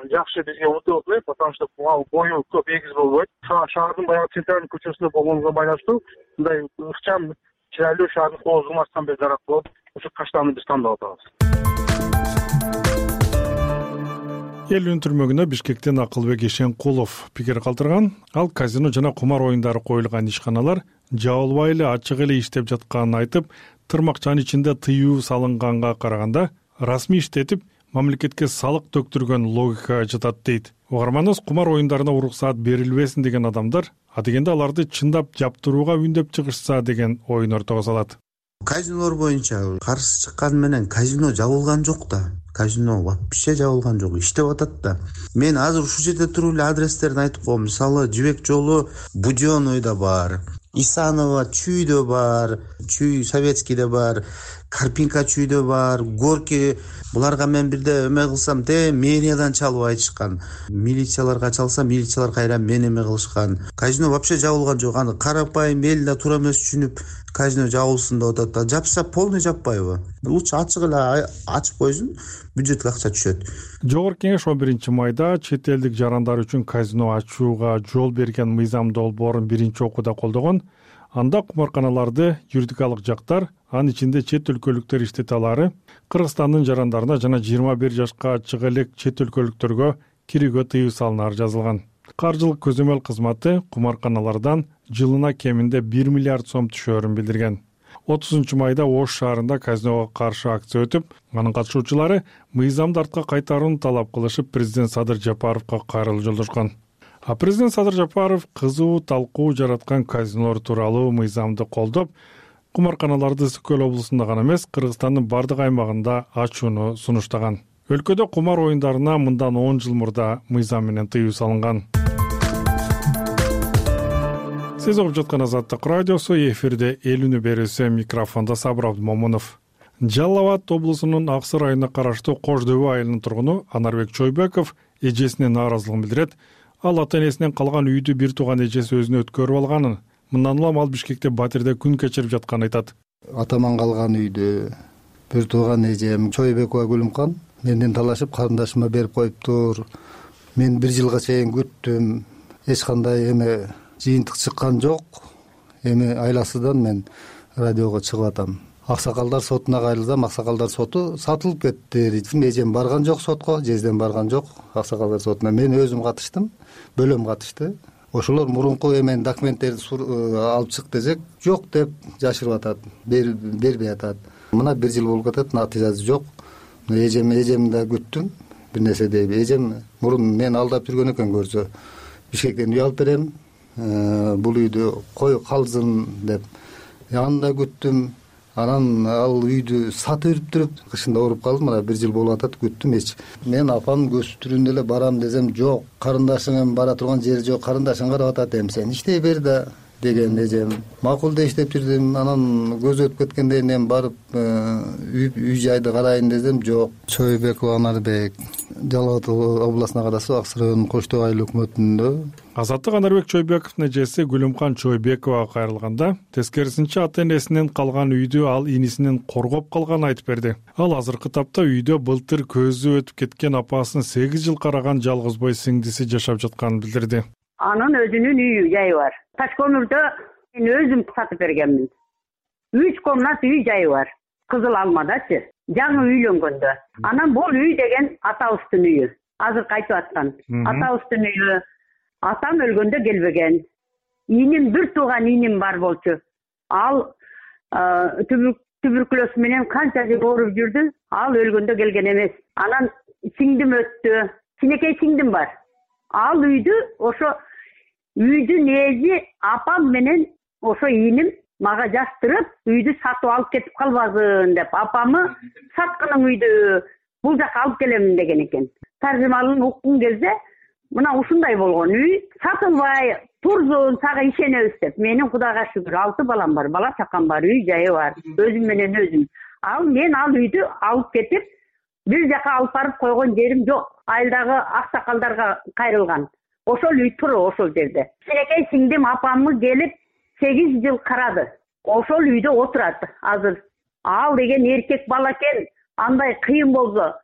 жакшы бизге удобный, потому что бою көп эгиз болбойт. Шаардын баягы центральный көчөсүндө болгонуна байланыштуу мындай ыкчам, чырайлуу шаардын коозугун ачкан бир дарак болуп, ошо каштанды биз тандап атабыз. Эл өнтүрмөгүнө Бишкектен Акылбек Ишенкулов пикир калтырган. Ал казино жана кумар оюндары коюлган ишканалар жабылбай эле ачык эле иштеп жатканын айтып, тырмакчанын ичинде тыюу салынганга караганда расмий иштетип, мамлекетке салык төктүргөн логика жатат дейт. Угарманыбыз кумар оюндарына уруксаат берилбесин деген адамдар, адегенде аларды чындап жаптырууга үндөп чыгышса деген оюн ортого салат. Казинолор боюнча каршы чыккан менен казино жабылган жок да. Казино вообще жабылган жок, иштеп атат да. Мен азыр ушул жерде туруп эле адрестерин айтып коем. Мисалы, Жибек жолу Будёнойдо бар, Исанова Чүйдө бар, Чүй Советскийде бар, Карпинка Чүйдө бар, Горки. Буларга мен бирде эме кылсам, те мэриядан чалып айтышкан. Милицияларга чалса, милициялар кайра мен эме кылышкан. Казино вообще жабылган жок. Аны карапайым эл да туура эмес түшүнүп, казино жабылсын деп атат да. Жапса полный жаппайбы? Лучше ачык эле ачып койсун, бюджетке акча түшөт. Жогорку кеңеш он биринчи майда чет элдик жарандар үчүн казино ачууга жол берген мыйзам долбоорун биринчи окууда колдогон. Анда кумарканаларды юридикалык жактар, анын ичинде чет өлкөлүктөр иштете алары, Кыргызстандын жарандарына жана жыйырма бир жашка чыга элек чет өлкөлүктөргө кирүүгө тыюу салынары жазылган. Каржылык көзөмөл кызматы кумарканалардан жылына кеминде бир миллиард сом түшөөрүн билдирген. отузунчу майда Ош шаарында казиного каршы акция өтүп, анын катышуучулары мыйзамды артка кайтарууну талап кылышып, президент Садыр Жапаровго кайрылуу жолдошкон. А президент Садыр Жапаров кызуу талкуу жараткан казинолор тууралуу мыйзамды колдоп, кумарканаларды Ысык Көл облусунда гана эмес, Кыргызстандын бардык аймагында ачууну сунуштаган. Өлкөдө кумар оюндарына мындан он жыл мурда мыйзам менен тыюу салынган. сиз угуп жаткан Азаттык радиосу, эфирде эл үнү берүүсү, микрофондо Сабыр Абдымомунов. Жалал Абад облусунун Аксыр айылына караштуу Кош дөбө айылынын тургуну Анарбек Чойбеков эжесине нааразылыгын билдирет. Ал ата-энесинен калган үйдү бир тууган эжеси өзүнө өткөрүп алганын, мындан улам ал Бишкекте батирде күн кечирип жатканын айтат. Атаман калган үйдү бир тууган эжем Чойбекова Гүлүмкан менден талашып карындашыма берип коюптур. Мен бир жылга чейин күттүм. Эч кандай эме жыйынтык чыккан жок. Эми айласыдан мен радиого чыгып атам. Аксакалдар сотуна кайрылсам, Аксакалдар соту сатылып кетти. Эжем барган жок сотко, жездем барган жок Аксакалдар сотуна. Мен өзүм катыштым, бөлөм катышты. Ошолор мурунку эмен документтерди алып чык десек, жок деп жашырып атат, бербей атат. Мына бир жыл болуп кетет, натыйжасы жок. Эжем эжем да күттүм, бир нерсе дейби. Эжем мурун мен алдап жүргөн экен көрсө, Бишкектен үй алып берем, бул үйдү кой калсын деп. Аны да күттүм. Анан ал үйдү сатып үрүптүрүп, кышында ооруп калдым, мына бир жыл болуп атат, күттүм эч. Мен апам көз түрүндө эле барам десем, жок, карындашың бара турган жери жок, карындашың карап атат, эми сен иштей бер да деген эжем. Макул деп иштеп жүрдүм. Анан көз өтүп кеткенден кийин барып үй жайды карайын десем, жок. Чойбеков Анарбек, Жалал Абад областына караштуу Аксыр районунун Кош дөбө айыл өкмөтүндө. Азаттык Анарбек Чойбековдун эжеси Гүлүмкан Чойбековага кайрылганда, тескерисинче ата-энесинен калган үйдү ал инисинен коргоп калганын айтып берди. Ал азыркы тапта үйдө былтыр көзү өтүп кеткен апасын сегиз жыл караган жалгыз бой сиңдиси жашап жатканын билдирди. Анын өзүнүн үйү жайы бар. Таш көмүрдө мен өзүм сатып бергенмин. Үч комнат үй жайы бар. Кызыл Алмадачы, жаңы үйлөнгөндө. Анан бул үй деген атабыздын үйү. Азыр кайтып аткан. Атабыздын үйү. Атам өлгөндө келбеген. Иним бир тууган иним бар болчу. Ал туберкулез менен канча жыл ооруп жүрдү. Ал өлгөндө келген эмес. Анан сиңдим өттү. Кичинекей сиңдим бар. Ал үйдү ошо үйдүн эзи апам менен ошо иним мага жаштырып, үйдү сатып алып кетип калбасын деп, апамы саткының үйдү бул жака алып келем деген экен. Таржымалын уккун кезде мына ушундай болгон үй сатылбай турзун, сага ишенебиз деп. Менин Кудайга шүгүр алты балам бар, бала чакам бар, үй жайы бар, өзүм менен өзүм. Ал мен ал үйдү алып кетип, бир жака алып барып койгон жерим жок. Айылдагы аксакалдарга кайрылган. Ошол үй тур ошол жерде. Кичинекей сиңдим апамы келип сегиз жыл карады. Ошол үйдө отурат азыр. Ал деген эркек бала экен, андай кыйын болсо,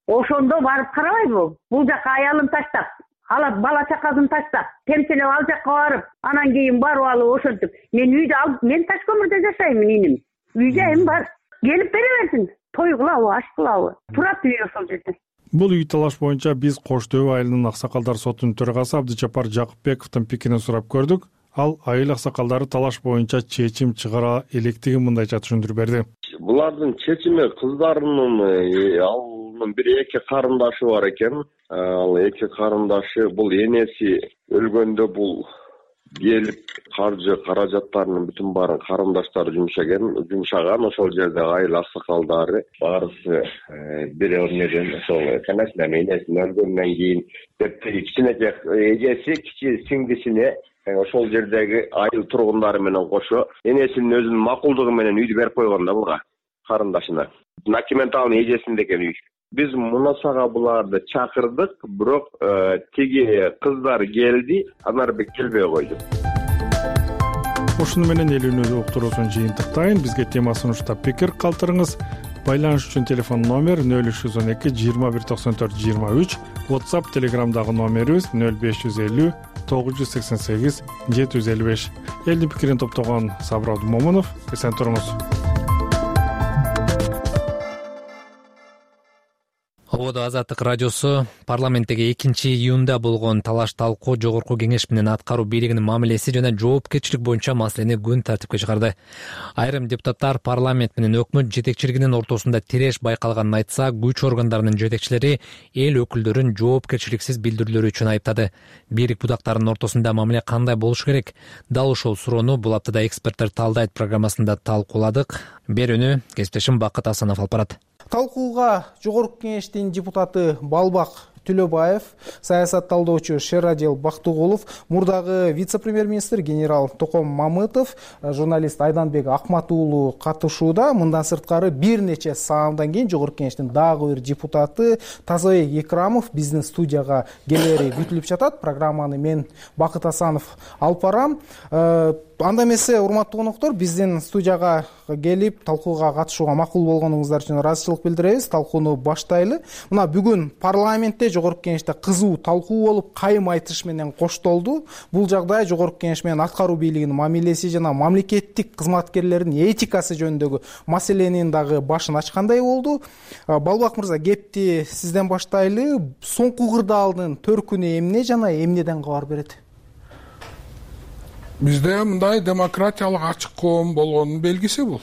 ошондо барып карабайбы? Бул жака аялын таштап, алат бала чакасын таштап, темселеп ал жака барып, анан кийин барып алып ошентип. Мен үйдү алып, мен таш көмүрдө жашаймын иним. Үй жайым бар. Келип бере берсин. Той кылабы, аш кылабы? Турат үй ошол жерде. Бул үй талаш боюнча биз Кош дөбө айылынын Аксакалдар сотунун төрагасы Абдыжапар Жакыпбековдун пикирин сурап көрдүк. Ал айыл аксакалдары талаш боюнча чечим чыгара электигин мындайча түшүндүрүп берди. Булардын чечими кыздарынын алынын бир эки карындашы бар экен. Ал эки карындашы бул энеси өлгөндө бул келип каржы каражаттарынын бүтүн баарын карындаштары жумшаган, жумшаган. Ошол жерде айыл аксакалдары баарысы бир өрнөдөн ошол канасына энесин өлгөндөн кийин деп кичинекей эжеси кичи сиңдисине ошол жердеги айыл тургундары менен кошо энесинин өзүнүн макулдугу менен үйдү берип койгон да буга карындашына. Документалный эжесинде экен үй. Биз мунасага буларды чакырдык, бирок тиги кыздар келди, Анарбек келбей койду. Ушуну менен эл үнү уктуруусун жыйынтыктайын. Бизге темасын уштап пикир калтырыңыз. Байланыш үчүн телефон номер нөл үч жүз он эки жыйырма бир токсон төрт жыйырма үч, WhatsApp, Telegramдагы номерибиз нөл беш жүз элүү тогуз жүз сексен сегиз жети жүз элүү беш. Элдин пикирин топтогон Сабыр Абдымомунов. Эсен туруңуз. Ободо Азаттык радиосу парламенттеги экинчи июнда болгон талаш талкуу жогорку кеңеш менен аткаруу бийлигинин мамилеси жана жоопкерчилик боюнча маселени күн тартипке чыгарды. Айрым депутаттар парламент менен өкмөт жетекчилигинин ортосунда тиреш байкалганын айтса, күч органдарынын жетекчилери эл өкүлдөрүн жоопкерчиликсиз билдирүүлөрү үчүн айыптады. Бийлик будактарынын ортосунда мамиле кандай болушу керек? Дал ушул суроону бул аптада эксперттер талдайт программасында талкууладык. Берүүнү кесиптешим Бакыт Асанов алып барат. Талкууга жогорку кеңештин депутаты Балбак Төлөбаев, саясат талдоочу Шерадил Бактыгулов, мурдагы вице-премьер-министр генерал Током Мамытов, журналист Айданбек Акмат уулу катышууда. Мындан сырткары бир нече саамдан кийин Жогорку Кеңештин дагы бир депутаты Тазабек Экрамов биздин студияга келери күтүлүп жатат. Программаны мен Бакыт Асанов алып барам. Анда эмесе, урматтуу коноктор, биздин студияга келип талкууга катышууга макул болгонуңуздар үчүн ыраазычылык билдиребиз. Талкууну баштайлы. Мына бүгүн парламентте, Жогорку Кеңеште кызуу талкуу болуп, кайым айтыш менен коштолду. Бул жагдай Жогорку Кеңеш менен аткаруу бийлигинин мамилеси жана мамлекеттик кызматкерлердин этикасы жөнүндөгү маселенин дагы башын ачкандай болду. Балбак мырза, кепти сизден баштайлы. Соңку кырдаалдын төркүнү эмне жана эмнеден кабар берет? Бизде мындай демократиялык ачык коом болгонун белгиси бул.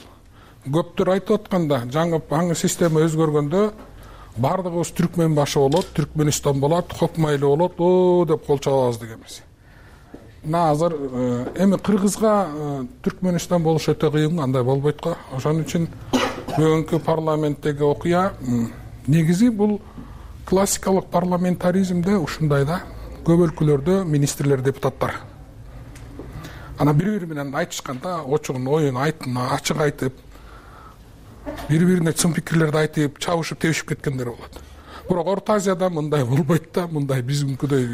Көптөр айтып атканда, жаңы жаңы система өзгөргөндө бардыгыбыз түркмен башы болот, Түркмөнстан болот, Хокмайлы болот, о деп кол чабабыз дегенбиз. Мына азыр эми Кыргызга Түркмөнстан болуш өтө кыйын, андай болбойт го. Ошон үчүн бүгүнкү парламенттеги окуя негизи бул классикалык парламентаризмде ушундай да, көп өлкөлөрдө министрлер, депутаттар ана бири-бири менен айтышканда очугун оюн айтын ачык айтып, бири-бирине чын пикирлерди айтып, чабышып, тебишип кеткендер болот. Бирок Орто Азияда мындай болбойт да, мындай биздикидей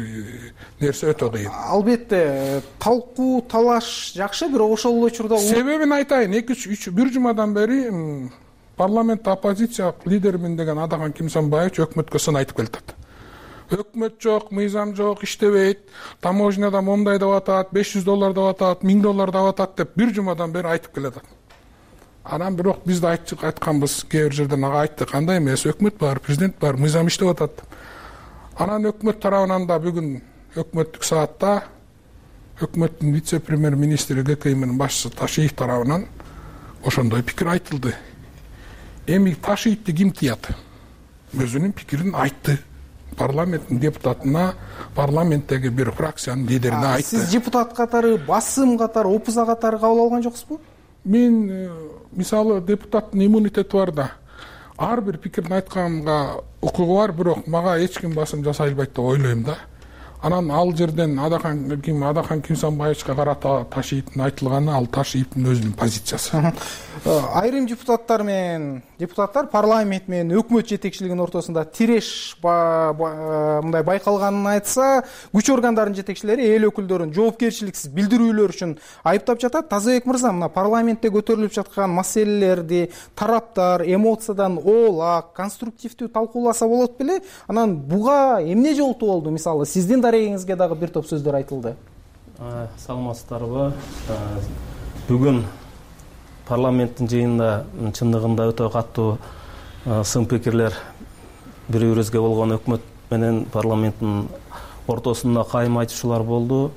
нерсе өтө кыйын. Албетте, талкуу, талаш жакшы, бирок ошол эле учурда себебин айтайын. эки үч бир жумадан бери парламентте оппозиция лидеримин деген Адахан Кимсанбаевич өкмөткө сын айтып келатат. Өкмөт жок, мыйзам жок, иштебейт, таможняда момундай деп атат, беш жүз доллар деп атат, миң доллар деп атат деп бир жумадан бери айтып келатат. Анан бирок биз да айтканбыз, кээ бир жерден ага айттык, кандай эмес, өкмөт бар, президент бар, мыйзам иштеп атат. Анан өкмөт тарабынан да бүгүн өкмөттүк саатта өкмөттүн вице-премьер-министри ГКИМдин башчысы Ташиев тарабынан ошондой пикир айтылды. Эми Ташиевди ким тыят? Өзүнүн пикирин айтты. Парламенттин депутатына, парламенттеги бир фракциянын лидерине айтты. Сиз депутат катары, басым катары, опуза катары кабыл алган жоксузбу? Мен мисалы депутаттын иммунитети бар да. Ар бир пикирин айтканга укугу бар, бирок мага эч ким басым жасай албайт деп ойлойм да. Анан ал жерден Адахан ким Адахан Кимсанбаевичке карата Ташиевдин айтылганы ал Ташиевдин өзүнүн позициясы. Айрым депутаттар менен депутаттар парламент менен өкмөт жетекчилигинин ортосунда тиреш мындай байкалганын айтса, күч органдарынын жетекчилери эл өкүлдөрүн жоопкерчиликсиз билдирүүлөр үчүн айыптап жатат. Тазабек мырза, мына парламентте көтөрүлүп жаткан маселелерди тараптар эмоциядан оолак, конструктивдүү талкууласа болот беле? Анан буга эмне жолтуу болду? Мисалы, сиздин дарегиңизге дагы бир топ сөздөр айтылды. Саламатсыздарбы? Бүгүн парламенттин жыйынында чындыгында өтө катуу сын пикирлер бири-бирибизге болгон өкмөт менен парламенттин ортосунда кайым айтышуулар болду.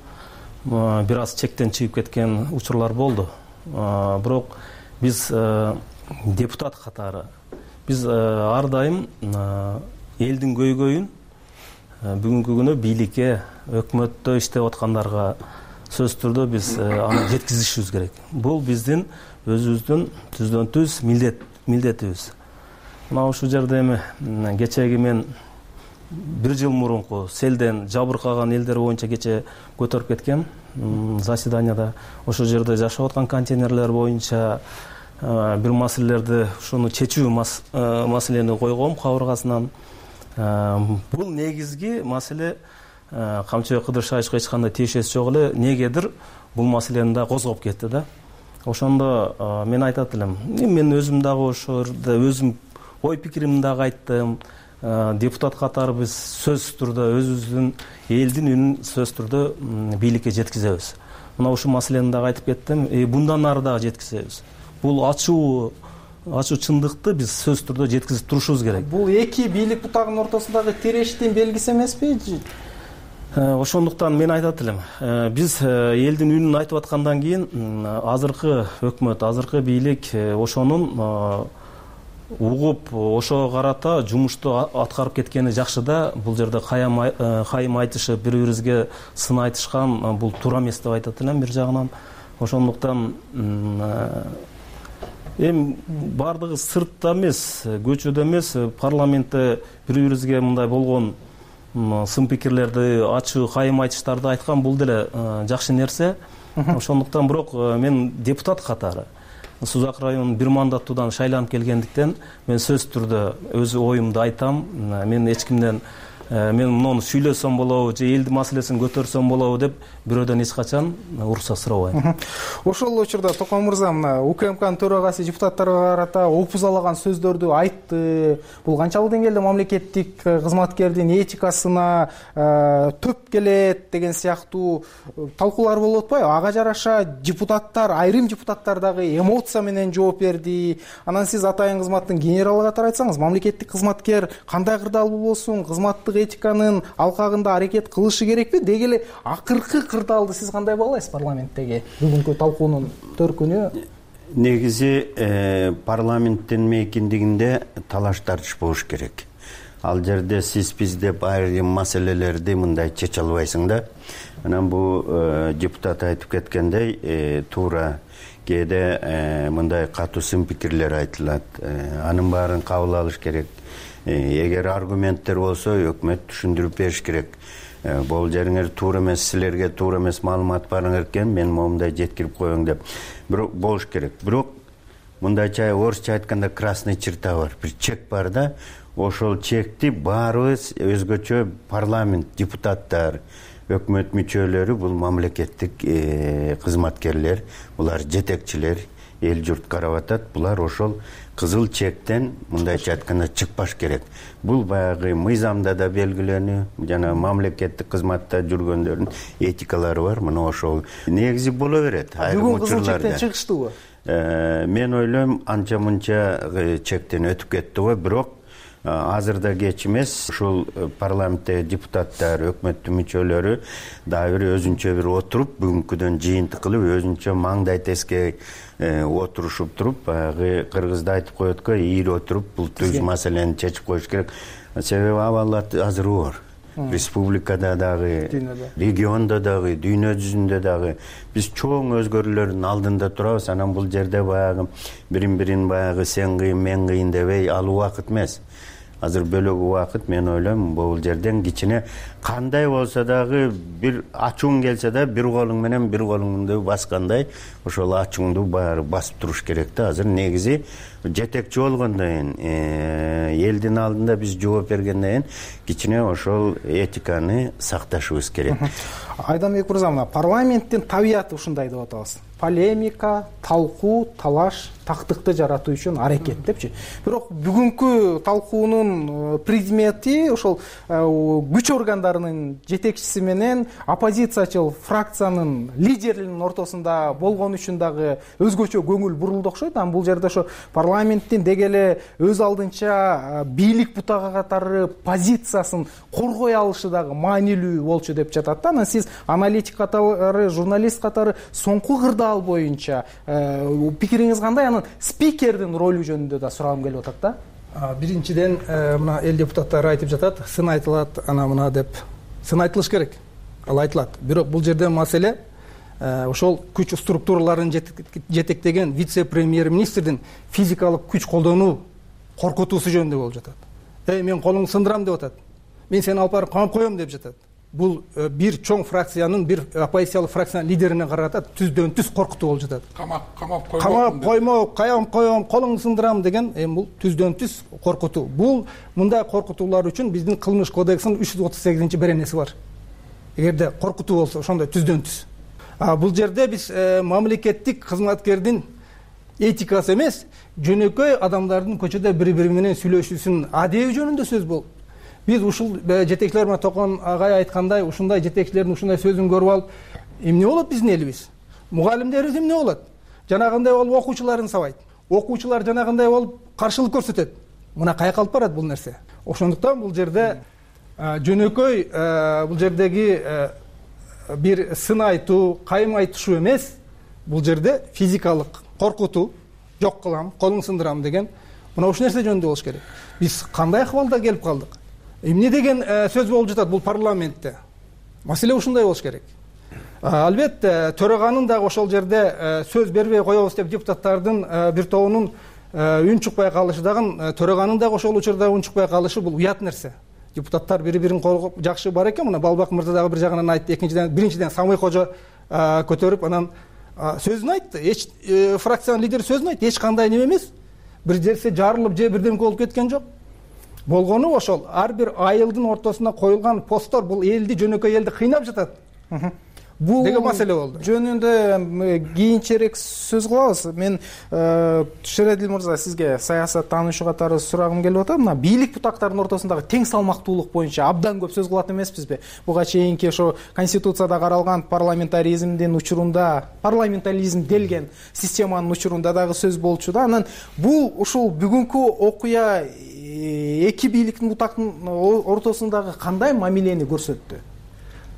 Бир аз чектен чыгып кеткен учурлар болду. Бирок биз депутат катары биз ар дайым элдин көйгөйүн бүгүнкү күнү бийликке, өкмөттө иштеп аткандарга сөзсүз түрдө биз аны жеткизишибиз керек. Бул биздин өзүбүздүн түздөн түз милдет милдетибиз. Мына ушул жерде эми кечеги мен бир жыл мурунку селден жабыркаган элдер боюнча кече көтөрүп кеткем заседанияда. Ошол жерде жашап аткан контейнерлер боюнча бир маселелерди ушуну чечүү маселени койгом кабыргасынан. Бул негизги маселе Камчыбек Кыдыршаевичке эч кандай тиешеси жок эле, негедир бул маселени да козгоп кетти да. Ошондо мен айтат элем, мен өзүм дагы ошол жерде өзүм ой пикиримди дагы айттым. Депутат катары биз сөзсүз түрдө өзүбүздүн элдин үнүн сөзсүз түрдө бийликке жеткизебиз. Мына ушул маселени дагы айтып кеттим. Bundan ары дагы жеткизебиз. Бул ачуу ачуу чындыкты биз сөзсүз түрдө жеткизип турушубуз керек. Бул эки бийлик бутагынын ортосундагы тирештин белгиси эмеспи? Ошондуктан мен айтат элем, биз элдин үнүн айтып аткандан кийин азыркы өкмөт, азыркы бийлик ошонун угуп, ошого карата жумушту аткарып кеткени жакшы да. Бул жерде кайым айтышып, бири-бирибизге сын айтышкан бул туура эмес деп айтат элем бир жагынан. Ошондуктан эми бардыгы сыртта эмес, көчөдө эмес, парламентте бири-бирибизге мындай болгон сын пикирлерди ачуу кайым айтыштарды айткан бул деле жакшы нерсе. Ошондуктан бирок мен депутат катары Сузак районунун бир мандаттуудан шайланып келгендиктен мен сөзсүз түрдө өз оюмду айтам. Мен эч кимден мен муну сүйлөсөм болобу же элдин маселесин көтөрсөм болобу деп бирөөдөн эч качан уруксат сурабайм. Ошол учурда Токон мырза мына УКМКнын төрагасы депутаттарга карата опузалаган сөздөрдү айтты. Бул канчалык деңгээлде мамлекеттик кызматкердин этикасына төп келет деген сыяктуу талкуулар болуп атпайбы? Ага жараша депутаттар, айрым депутаттар дагы эмоция менен жооп берди. Анан сиз атайын кызматтын генералы катары айтсаңыз, мамлекеттик кызматкер кандай кырдаалуу болсун, кызматтык этиканын алкагында аракет кылышы керекпи? Деги эле акыркы кырдаалды сиз кандай баалайсыз парламенттеги бүгүнкү талкуунун төркүнү? Негизи парламенттин мейкиндигинде талаш тартыш болуш керек. Ал жерде сиз биз деп айрым маселелерди мындай чече албайсың да. Анан бул депутат айтып кеткендей туура кээде мындай катуу сын пикирлер айтылат. Анын баарын кабыл алыш керек. Эгер аргументтер болсо өкмөт түшүндүрүп бериш керек. Бул жериңер туура эмес, силерге туура эмес маалымат барыңар экен, мен момундай жеткирип коеюн деп бирок болуш керек. Бирок мындайча орусча айтканда красный черта бар, бир чек бар да. Ошол чекти баарыбыз өзгөчө парламент депутаттар, өкмөт мүчөлөрү, бул мамлекеттик кызматкерлер, булар жетекчилер, эл журт карап атат. Булар ошол кызыл чектен мындайча айтканда чыкпаш керек. Бул баягы мыйзамда да белгиленүү, жана мамлекеттик кызматта жүргөндөрдүн этикалары бар. Мына ошол негизи боло берет айрым учурларда. Бүгүн кызыл чектен чыгыштыбы? Мен ойлойм анча мынча чектен өтүп кетти го, бирок азырда кеч эмес. Ушул парламенттеги депутаттар, өкмөттүн мүчөлөрү дагы бир өзүнчө бир отуруп, бүгүнкүдөн жыйынтык кылып, өзүнчө маңдай теске отурушуп туруп, баягы кыргызда айтып коет го, ийип отуруп бул түз маселени чечип коюш керек. Себеби абалат азыр оор. Республикада дагы, региондо дагы, дүйнө жүзүндө дагы биз чоң өзгөрүүлөрдүн алдында турабыз. Анан бул жерде баягы бирин-бирин баягы сен кыйын, мен кыйын дебей ал убакыт эмес. Азыр бөлөк убакыт. Мен ойлойм, бул жерден кичине кандай болсо дагы бир ачууң келсе да бир колуң менен бир колуңду баскандай ошол ачууңду баары басып туруш керек да. Азыр негизи жетекчи болгондон кийин элдин алдында биз жооп бергенден кийин кичине ошол этиканы сакташыбыз керек. Айданбек мырза, мына парламенттин табияты ушундай деп атабыз. Полемика, талкуу, талаш, тактыкты жаратуу үчүн аракет депчи. Бирок бүгүнкү талкуунун предмети ошол күч органдарынын жетекчиси менен оппозициячыл фракциянын лидеринин ортосунда болгон үчүн дагы өзгөчө көңүл бурулду окшойт. Анан бул жерде ошо парламенттин деги эле өз алдынча бийлик бутага катары позициясын коргой алышы дагы маанилүү болчу деп жатат да. Анан сиз аналитик катары, журналист катары соңку кырдаал боюнча пикириңиз кандай? Анан спикердин ролу жөнүндө да сурагым келип атат да. Биринчиден мына эл депутаттары айтып жатат, сын айтылат, ана мына деп. Сын айтылыш керек. Ал айтылат. Бирок бул жерде маселе ошол күч структураларын жетектеген вице-премьер-министрдин физикалык күч колдонуу коркутуусу жөнүндө болуп жатат. Эй, мен колуңду сындырам деп атат. Мен сени алып барып камап коем деп жатат. Бул бир чоң фракциянын, бир оппозициялык фракциянын лидерине карата түздөн түз коркутуу болуп жатат. Камап, камап коймо. Камап коймо, каям коем, колуңду сындырам деген эми бул түздөн түз коркутуу. Бул мындай коркутуулар үчүн биздин кылмыш кодексинин үч жүз отуз сегизинчи беренеси бар. Эгерде коркутуу болсо, ошондой түздөн түз. А бул жерде биз мамлекеттик кызматкердин этикасы эмес, жөнөкөй адамдардын көчөдө бири-бири менен сүйлөшүүсүнүн адеби жөнүндө сөз болду. Биз ушул жетекчилер менен Токон агай айткандай, ушундай жетекчилердин ушундай сөзүн көрүп алып, эмне болот биздин элибиз? Мугалимдерибиз эмне болот? Жанагындай болуп окуучуларын сабайт. Окуучулар жанагындай болуп каршылык көрсөтөт. Мына каяка алып барат бул нерсе? Ошондуктан бул жерде жөнөкөй бул жердеги бир сын айтуу, кайым айтышуу эмес, бул жерде физикалык коркутуу, жок кылам, колуң сындырам деген мына ушул нерсе жөнүндө болуш керек. Биз кандай акыбалда келип калдык? Эмне деген сөз болуп жатат бул парламентте? Маселе ушундай болуш керек. Албетте, төраганын дагы ошол жерде сөз бербей коебуз деп депутаттардын бир тобунун үн чыкпай калышы дагы, төраганын дагы ошол учурда үн чыкпай калышы бул уят нерсе. депутаттар бири бирин коргоп жакшы бар экен. Мына Балбак мырза дагы бир жагынан айтты. Экинчиден биринчиден Самый Кожо көтөрүп анан сөзүн айтты. Эч фракциянын лидери сөзүн айтты. Эч кандай неме эмес. Бир жерсе жарылып же бирдемке болуп кеткен жок. Болгону ошол ар бир айылдын ортосуна коюлган посттор бул элди, жөнөкөй элди кыйнап жатат. Бул деген маселе болду. Жөнүндө кийинчерээк сөз кылабыз. Мен Шерадил мырза сизге саясат таануучу катары сурагым келип атат. Мына бийлик бутактарынын ортосундагы тең салмактуулук боюнча абдан көп сөз кылат эмеспизби? Буга чейинки ошо конституцияда каралган парламентаризмдин учурунда, парламентаризм делген системанын учурунда дагы сөз болчу да. Анан бул ушул бүгүнкү окуя эки бийликтин бутактын ортосундагы кандай мамилени көрсөттү?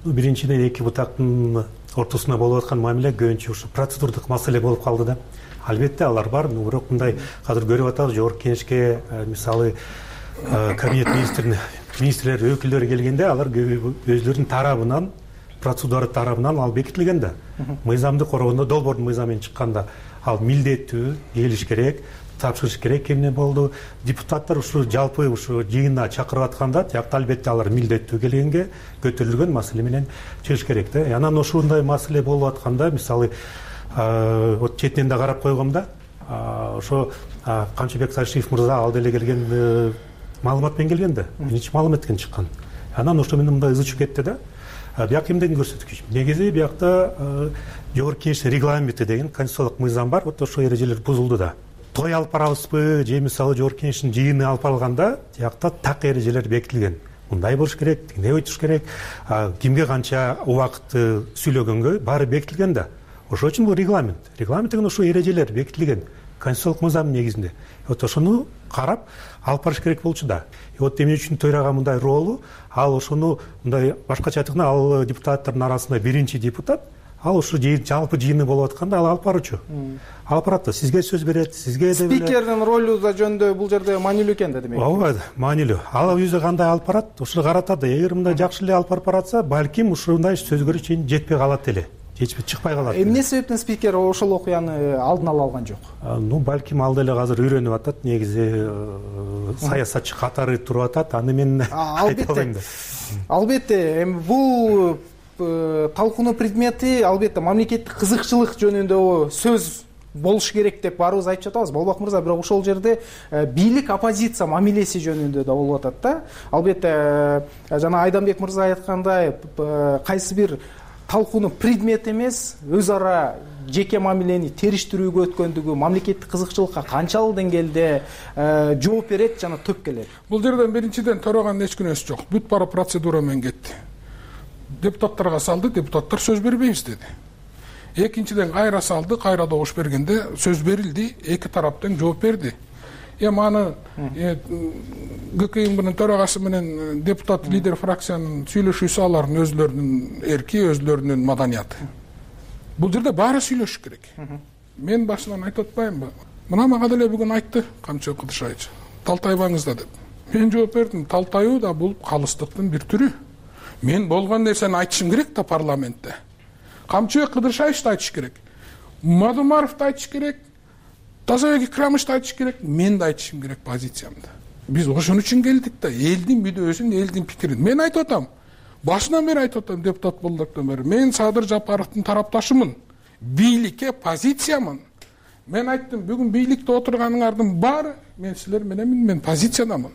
Биринчиден эки бутактын ортосунда болуп аткан мамиле көбүнчө ушу процедурдук маселе болуп калды да. Албетте алар бар, бирок мындай азыр көрүп атабыз, жогорку кеңешке мисалы кабинет министрин министрлер өкүлдөрү келгенде алар өзлөрүнүн тарабынан, процедура тарабынан ал бекитилген да. Мыйзамды коргондо долбоордун мыйзамы менен чыкканда ал милдеттүү келиш керек, тапшырыш керек эмне болду. Депутаттар ушу жалпы ушу жыйынга чакырып атканда тиякта албетте алар милдеттүү келгенге көтөрүлгөн маселе менен чыгыш керек да. Анан ошондой маселе болуп атканда мисалы вот четинен да карап койгом да, ошо Камчыбек Сашиев мырза ал деле келген маалымат менен келген да. Биринчи маалымат менен чыккан. Анан ошо менен мындай ызы чыгып кетти да. Бияк эмнени көрсөткүч? Негизи биякта жогорку кеңештин регламенти деген конституциялык мыйзам бар. Вот ошол эрежелер бузулду да. Той алып барабызбы же мисалы жогорку кеңештин жыйыны алып барылганда тиякта так эрежелер бекитилген. Мындай болуш керек, тигиндей өтүш керек, кимге канча убакытты сүйлөгөнгө баары бекитилген да. Ошол үчүн бул регламент. Регламент деген ошо эрежелер бекитилген конституциялык мыйзамдын негизинде. Вот ошону карап алып барыш керек болчу да. Вот эмне үчүн төрага мындай роолу, ал ошону мындай башкача айтканда ал депутаттардын арасында биринчи депутат, ал ушу жалпы жыйыны болуп атканда ал алып баруучу. Алып барат да, сизге сөз берет, сизге да спикердин ролу да жөнүндө бул жерде маанилүү экен да демек. Ооба, маанилүү. Ал өзү кандай алып барат, ушуну каратат да. Эгер мындай жакшы эле алып барып баратса, балким ушундай сөзгө чейин жетпей калат эле. Жетпей чыкпай калат. Эмне себептен спикер ошол окуяны алдын ала алган жок? Ну, балким ал деле азыр үйрөнүп атат, негизи саясатчы катары туруп атат, аны мен айта албайм да. Албетте, эми бул талкуунун предмети албетте мамлекеттик кызыкчылык жөнүндө сөз болуш керек деп баарыбыз айтып жатабыз. Болбок мырза, бирок ошол жерде бийлик оппозиция мамилеси жөнүндө да болуп атат да. Албетте жана Айданбек мырза айткандай кайсы бир талкуунун предмети эмес, өз ара жеке мамилени териштирүүгө өткөндүгү мамлекеттик кызыкчылыкка канчалык деңгээлде жооп берет жана төп келет? Бул жерден биринчиден төрөгандын эч күнөөсү жок. Бүт бара процедура менен кетти. Депутаттарга салды, депутаттар сөз бербейбиз деди. Экинчиден кайра салды, кайра добуш бергенде сөз берилди, эки тараптан жооп берди. Эми аны ГКИ менен төрагасы менен депутат лидер фракциянын сүйлөшүүсү алардын өзлөрүнүн эрки, өзлөрүнүн маданияты. Бул жерде баары сүйлөшүш керек. Мен башынан айтып атпаймынбы? Мына мага деле бүгүн айтты Камчыбек Кыдыршайыч. Талтайбаңыз да деп. Мен жооп бердим, талтайуу да бул калыстыктын бир түрү. Мен болгон нерсени айтышым керек да парламентте. Камчыбек Кыдыршайыч да айтыш керек. Мадумаров да айтыш керек. Тазабек Икрамович да айтыш керек. Мен да айтышым керек позициямды. Биз ошон үчүн келдик да, элдин мүдөөсүн, элдин пикирин. Мен айтып атам. Башынан бери айтып атам, депутат болдуктан бери. Мен Садыр Жапаровдун тарапташымын. Бийликке позициямын. Мен айттым, бүгүн бийликте отурганыңардын баары мен силер менен мен позициядамын.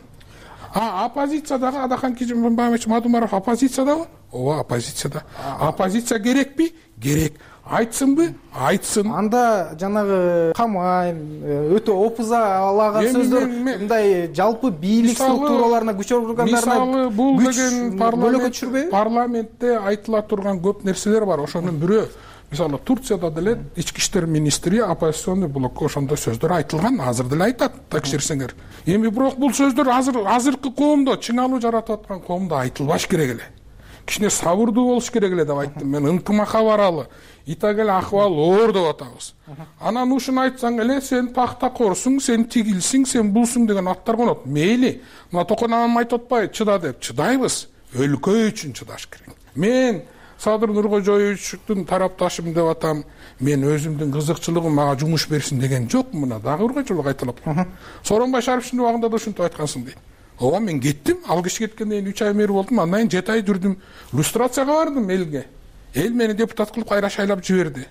А оппозициядагы Адахан Кижимбаевич Мадумаров оппозициядабы? Ооба, оппозицияда. Оппозиция керекпи? Керек. Айтсынбы? Айтсын. Анда жанагы камайн, өтө опуза алаган сөздөр мындай жалпы бийлик структураларына күч органдарына мисалы бул деген парламент парламентте айтыла турган көп нерселер бар. Ошонун бирөө мисалы Турцияда деле ички иштер министри оппозиционный блокко ошондой сөздөр айтылган, азыр деле айтат, текшерсеңер. Эми бирок бул сөздөр азыр азыркы коомдо, чыңалуу жаратып аткан коомдо айтылбаш керек эле. Кичине сабырдуу болуш керек эле деп айттым. Мен ынтымакка баралы, итак эле акыбал оор деп атабыз. Анан ушуну айтсаң эле сен пахтакорсуң, сен тигилсиң, сен булсуң деген аттар конот. Мейли, мына Токон анам айтып атпайбы, чыда деп. Чыдайбыз. Өлкө үчүн чыдаш керек. Мен Садыр Нуркожоевичтин тарапташым деп атам. Мен өзүмдүн кызыкчылыгым мага жумуш берсин деген жок. Мына дагы ыргачылык айтылып. Сооронбай Шариповичтин убагында да ушинтип айткансың дейт. ооба мен кеттим, ал киши кеткенден кийин үч ай мэр болдум, андан кийин жети ай жүрдүм, иллюстрацияга бардым элге. Эл мени депутат кылып кайра шайлап жиберди.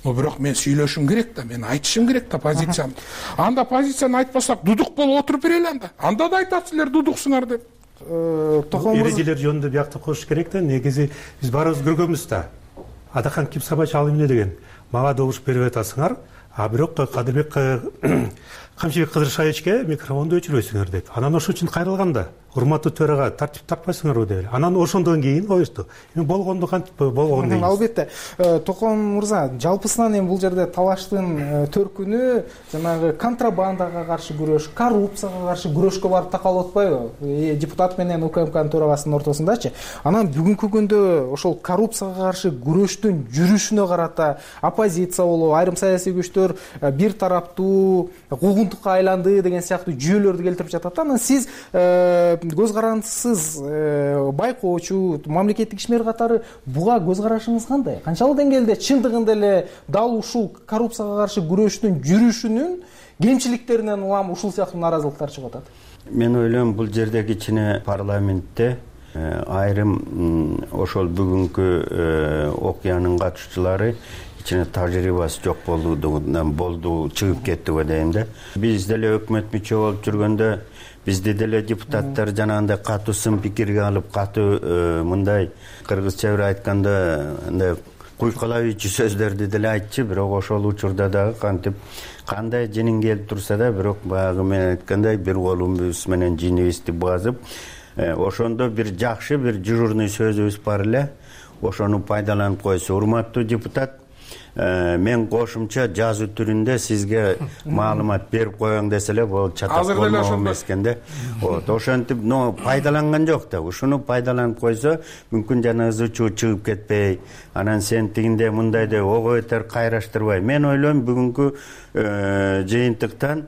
Но бирок мен сүйлөшүм керек да, мен айтышым керек да позициямды. Анда позицияны айтпасак дудук болуп отуруп берели анда. Анда да айтат силер дудуксуңар деп. Эрежелер жөнүндө бияктап коюш керек да. Негизи биз баарыбыз көргөнбүз да. Адакан Ким Сабач ал эмне деген? Мага добуш берип атасыңар, а бирок Кадырбек Камчыбек Кыдыршаевичке микрофонду өчүрбөйсүңөр деп. Анан ошон үчүн кайрылган да. Урматтуу төрага тартип тартпайсыңарбы деп. Анан ошондон кийин коюшту. Эми болгонду кантип болгон дейбиз. Албетте. Током мырза, жалпысынан эми бул жерде талаштын төркүнү жанагы контрабандага каршы күрөш, коррупцияга каршы күрөшкө барып такалып атпайбы? Депутат менен УКМКнын төрагасынын ортосундачы. Анан бүгүнкү күндө ошол коррупцияга каршы күрөштүн жүрүшүнө карата оппозиция болобу, айрым саясий күчтөр бир тараптуу куугунтукка айланды деген сыяктуу жүйөлөрдү келтирип жатат. Анан сиз көз карандысыз байкоочу мамлекеттик ишмер катары буга көз карашыңыз кандай? Канчалык деңгээлде чындыгында эле дал ушул коррупцияга каршы күрөштүн жүрүшүнүн кемчиликтеринен улам ушул сыяктуу нааразылыктар чыгып атат? Мен ойлойм бул жерде кичине парламентте айрым ошол бүгүнкү окуянын катышчылары кичине тажрыйбасы жок болдугунан болду чыгып кетти го дейм да. Биз деле өкмөт мүчө болуп жүргөндө бизди деле депутаттар жанагындай катуу сын пикирге алып, катуу мындай кыргызча бир айтканда андай куйкалабыйчу сөздөрдү деле айтчу, бирок ошол учурда дагы кантип кандай жинин келип турса да, бирок баягы мен айткандай бир колубуз менен жинибизди базып, ошондо бир жакшы бир дежурный сөзүбүз бар эле. Ошону пайдаланып койсо, урматтуу депутат, мен кошумча жазуу түрүндө сизге маалымат берип коеюн десе эле болот, чатак болмок эмес экен да. Вот, ошентип, но пайдаланган жок да. Ушуну пайдаланып койсо, мүмкүн жанагы зычуу чыгып кетпей, анан сен тигинде мындай деп ого бетер кайраштырбай. Мен ойлойм бүгүнкү жыйынтыктан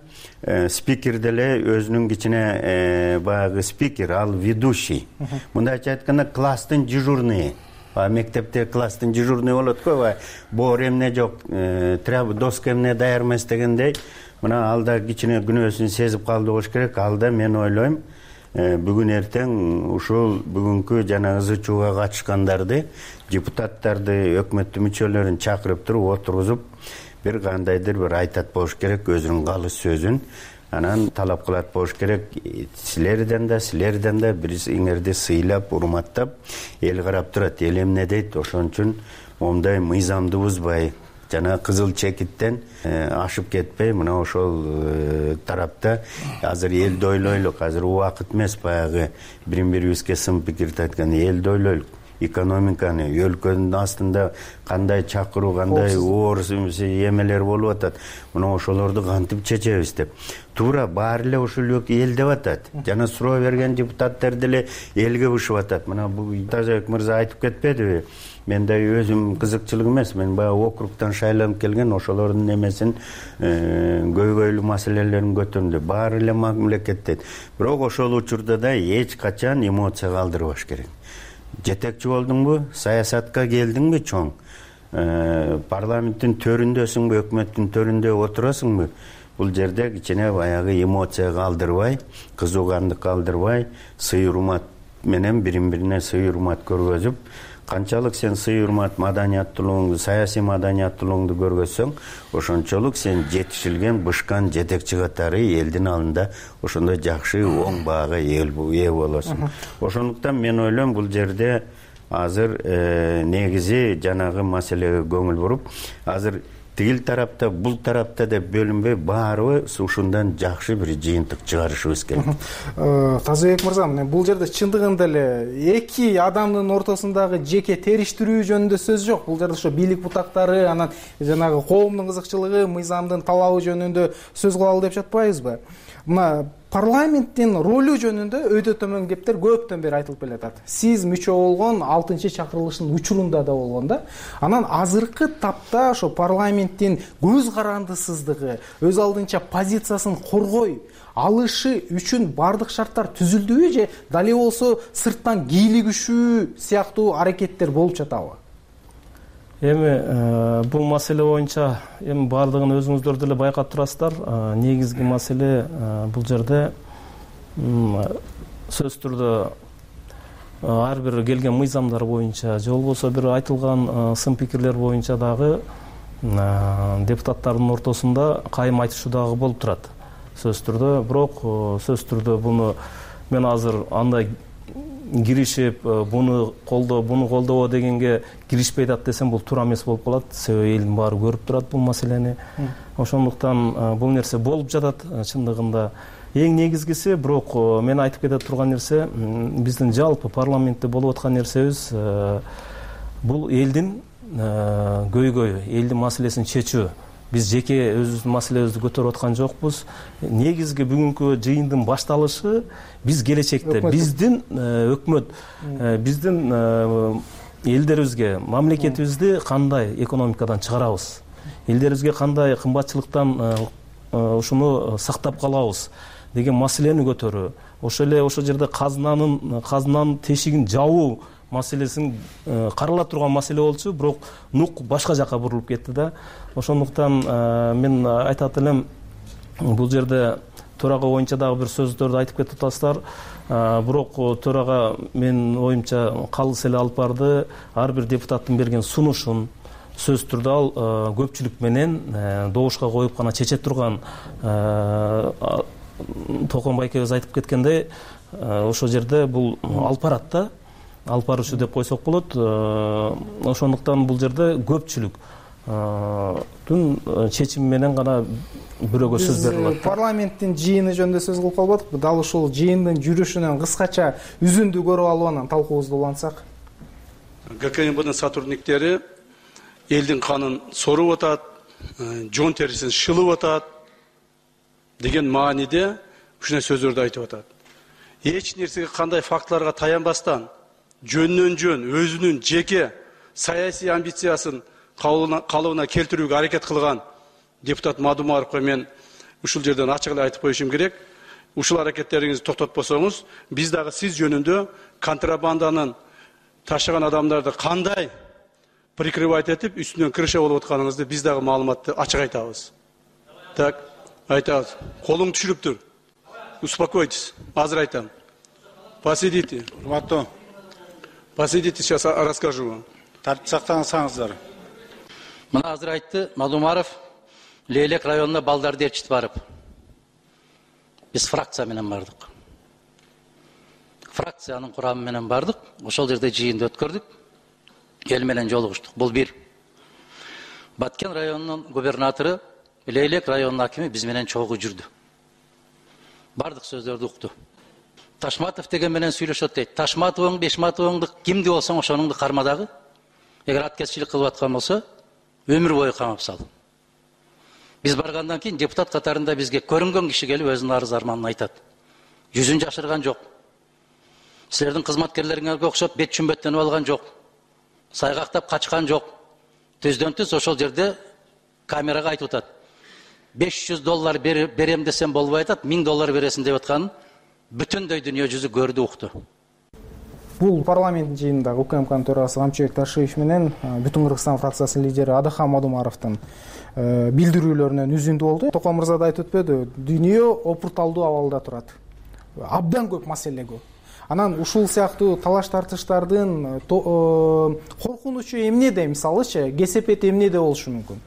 спикер деле өзүнүн кичине баягы спикер, ал ведущий. Мындайча айтканда класстын дежурный. Мектепте класстын дежурный болот го, боор эмне жок, треба доска эмне даяр эмес дегендей, мына ал да кичине күнөөсүн сезип калды болуш керек. Ал да мен ойлойм бүгүн эртең ушул бүгүнкү жанагы зычууга катышкандарды, депутаттарды, өкмөттүн мүчөлөрүн чакырып туруп отургузуп, бир кандайдыр бир айтат болуш керек өзүнүн калыс сөзүн. Анан талап кылат болуш керек, силерден да, силерден да бириңерди сыйлап, урматтап, эл карап турат, эл эмне дейт, ошон үчүн момундай мыйзамды бузбай, жана кызыл чекиттен ашып кетпей, мына ошол тарапта азыр элди ойлойлук, азыр убакыт эмес баягы бирин бирибизге сын пикирди айткан, элди ойлойлук. Экономиканы, өлкөнүн астында кандай чакыруу, кандай оор эмелер болуп атат, мына ошолорду кантип чечебиз деп. Туура баары эле ушул эл деп атат. Жана суроо берген депутаттар деле элге бушуп атат. Мына бул Тазабек мырза айтып кетпедиби? Мен да өзүм кызыкчылык эмес, мен баягы округтан шайланып келген, ошолордун эмесин көйгөйлүү маселелерин көтөрдү. Баары эле мамлекетте. Бирок ошол учурда да эч качан эмоция калтырбаш керек. Жетекчи болдуңбу, саясатка келдиңби чоң, парламенттин төрүндөсүңбү, өкмөттүн төрүндө отурасыңбы, бул жерде кичине баягы эмоция калтырбай, кызуугандык калтырбай, сый урмат менен бирин-бирине сый урмат көргөзүп, канчалык сен сый урмат маданияттуулугуңду, саясий маданияттуулугуңду көргөзсөң, ошончолук сен жетишилген, бышкан жетекчи катары элдин алдында ошондой жакшы оң баага ээ болосуң. Ошондуктан мен ойлойм бул жерде азыр негизи жанагы маселеге көңүл буруп, азыр тигил тарапта, бул тарапта деп бөлүнбөй, баарыбыз ушундан жакшы бир жыйынтык чыгарышыбыз керек. Тазабек мырза, бул жерде чындыгында эле эки адамдын ортосундагы жеке териштирүү жөнүндө сөз жок. Бул жерде ошо бийлик бутактары, анан жанагы коомдун кызыкчылыгы, мыйзамдын талабы жөнүндө сөз кылалы деп жатпайбызбы? Мына парламенттин ролу жөнүндө өйдө төмөн кептер көптөн бери айтылып келатат. Сиз мүчө болгон алтынчы чакырылыштын учурунда да болгон да. Анан азыркы тапта ошо парламенттин көз карандысыздыгы, өз алдынча позициясын коргой алышы үчүн бардык шарттар түзүлдүбү же дале болсо сырттан кийлигишүү сыяктуу аракеттер болуп жатабы? Эми бул маселе боюнча эми баардыгын өзүңүздөр деле байкап турасыздар. Негизги маселе бул жерде сөзсүз түрдө ар бир келген мыйзамдар боюнча же болбосо бир айтылган сын пикирлер боюнча дагы депутаттардын ортосунда кайым айтышуу дагы болуп турат сөзсүз түрдө. Бирок сөзсүз түрдө буну мен азыр андай киришип буну колдоо буну колдобо дегенге киришпей атат десем бул туура эмес болуп калат. Себеби элдин баары көрүп турат бул маселени. Ошондуктан бул нерсе болуп жатат чындыгында. Эң негизгиси, бирок мен айтып кете турган нерсе, биздин жалпы парламентте болуп аткан нерсебиз бул элдин көйгөйү, элдин маселесин чечүү. Биз жеке өзүбүздүн маселебизди көтөрүп аткан жокпуз. Негизги бүгүнкү жыйындын башталышы биз келечекте биздин өкмөт, биздин элдерибизге, мамлекетибизди кандай экономикадан чыгарабыз, элдерибизге кандай кымбатчылыктан ушуну сактап калабыз деген маселени көтөрүү. Ошо эле ошол жерде казынанын казынанын тешигин жабуу маселесин карала турган маселе болчу, бирок нук башка жака бурулуп кетти да. Ошондуктан мен айтат элем, бул жерде төрага боюнча дагы бир сөздөрдү айтып кетип атасыздар. Бирок төрага менин оюмча калыс эле алып барды. Ар бир депутаттын берген сунушун сөзсүз түрдө ал көпчүлүк менен добушка коюп гана чече турган, Токон байкебиз айтып кеткендей, ошол жерде бул алып барат да. Алып баруучу деп койсок болот. Ошондуктан бул жерде көпчүлүк түн чечими менен гана бирөөгө сөз берилет. Парламенттин жыйыны жөнүндө сөз кылып калбадык. Дал ушул жыйындын жүрүшүнөн кыскача үзүндү көрүп алып анан талкуубузду улантсак. ГКМБдын сотрудниктери элдин канын соруп атат, жон терисин шылып атат деген мааниде ушундай сөздөрдү айтып атат. Эч нерсеге кандай фактыларга таянбастан жөндөн жөн өзүнүн жеке саясий амбициясын калыбына келтирүүгө аракет кылган депутат Мадумаровго мен ушул жерден ачык эле айтып коюшум керек. Ушул аракеттериңизди токтотпосоңуз, биз дагы сиз жөнүндө контрабанданын ташыган адамдарды кандай прикрывать этип үстүнөн крыша болуп атканыңызды биз дагы маалыматты ачык айтабыз. Так, айтабыз. Колуң түшүрүптүр. Успокойтесь. Азыр айтам. Посидите. Урматтуу. Посидите, сейчас расскажу вам. Тартип сактансаңыздар. Мына азыр айтты Мадумаров Лейлек районуна балдарды ээрчитип барып. Биз фракция менен бардык. Фракциянын курамы менен бардык. Ошол жерде жыйынды өткөрдүк. Эл менен жолугуштук. Бул бир. Баткен районунун губернатору, Лейлек районунун акими биз менен чогуу жүрдү. Бардык сөздөрдү укту. Ташматов деген менен сүйлөшөт дейт. Ташматовың, Бешматовыңды кимди болсоң ошонуңду карма дагы. Эгер аткезчилик кылып аткан болсо, өмүр бою камап сал. Биз баргандан кийин депутат катарында бизге көрүнгөн киши келип өзүнүн арыз арманын айтат. Жүзүн жашырган жок. Силердин кызматкерлериңерге окшоп бет чүмбөттөнүп алган жок. Сайгактап качкан жок. Түздөн түз ошол жерде камерага айтып атат. беш жүз доллар берем десем болбой атат, миң доллар бересиң деп атканын бүтүндөй дүйнө жүзү көрдү, укту. Бул парламент жыйынында УКМКнын төрагасы Камчыбек Ташиев менен Бүтүн Кыргызстан фракциясынын лидери Адахан Мадумаровдун билдирүүлөрүнөн үзүндү болду. Токон мырза да айтып өтпөдү, дүйнө опурталдуу абалда турат. Абдан көп маселе көп. Анан ушул сыяктуу талаш тартыштардын коркунучу эмнеде, мисалычы, кесепети эмнеде болушу мүмкүн?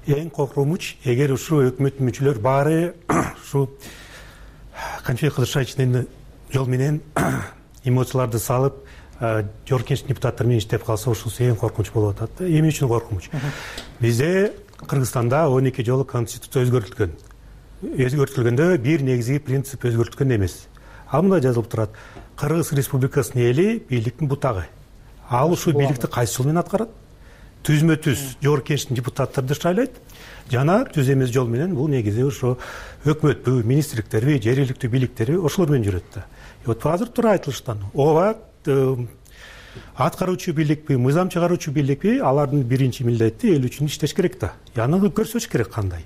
Эң коркунуч, эгер ушу өкмөттүн мүчөлөр баары ушу Камчыбек Кыдыршаевичтин жол менен эмоцияларды салып, жогорку депутаттар менен иштеп калса, ушул эң коркунуч болуп атат. Эмне үчүн коркунуч? Бизде Кыргызстанда он эки жолу конституция өзгөртүлгөн. Өзгөртүлгөндө бир негизги принцип өзгөртүлгөн эмес. Ал мында жазылып турат. Кыргыз Республикасынын эли бийликтин бутагы. Ал ушул бийликти кайсы жол менен аткарат? Түзмө түз жогорку кеңештин депутаттарды шайлайт. Жана түз эмес жол менен бул негизи ошо өкмөтпү, министрликтерби, жергиликтүү бийликтерби ошолор менен жүрөт да. Вот азыр туура айтылыштан, ооба аткаруучу бийликпи, мыйзам чыгаруучу бийликпи, алардын биринчи милдети эл үчүн иштеш керек да. Яны көрсөтүш керек кандай.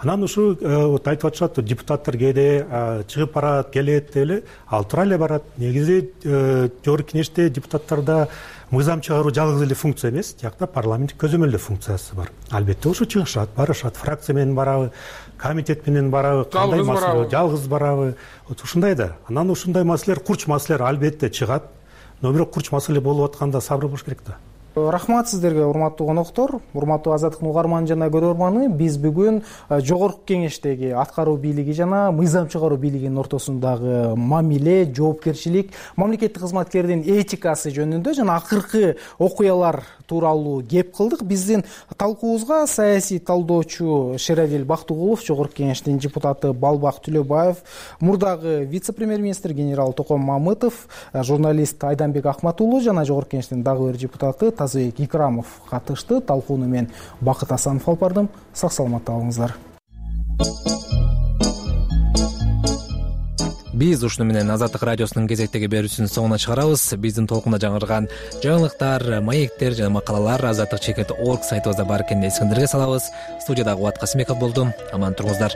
анан ушу вот айтып атышат депутаттар кээде чыгып барат келет деп эле ал туура эле барат. Негизи жогорку кеңеште депутаттарда мыйзам чыгаруу жалгыз эле функция эмес, тиякта парламенттик көзөмөлдөө функциясы бар. Албетте ошо чыгышат, барышат, фракция менен барабы, комитет менен барабы, кандай маселе жалгыз барабы, вот ушундай да. Анан ушундай маселелер, курч маселелер албетте чыгат, но бирок курч маселе болуп атканда сабыр болуш керек да. Рахмат сиздерге, урматтуу коноктор, урматтуу Азаттыктын угарманы жана көрөрманы. Биз бүгүн жогорку кеңештеги аткаруу бийлиги жана мыйзам чыгаруу бийлигинин ортосундагы мамиле, жоопкерчилик, мамлекеттик кызматкердин этикасы жөнүндө жана акыркы окуялар тууралуу кеп кылдык. Биздин талкуубузга саясий талдоочу Шерадил Бактыгулов, жогорку кеңештин депутаты Балбак Түлөбаев, мурдагы вице-премьер-министр генерал Током Мамытов, журналист Айданбек Акматуулу жана жогорку кеңештин дагы бир депутаты Тазыбек Икрамов катышты. Талкууну мен Бакыт Асанов алып бардым. Сак саламатта болуңуздар. Биз ушуну менен Азаттык радиосунун кезектеги берүүсүнүн соңуна чыгарабыз. Биздин толкунда жаңырган жаңылыктар, маектер жана макалалар азаттык чекит орг сайтыбызда бар экенин эсиңиздерге салабыз. Студияда Кубат Касымбеков болдум. Аман туруңуздар.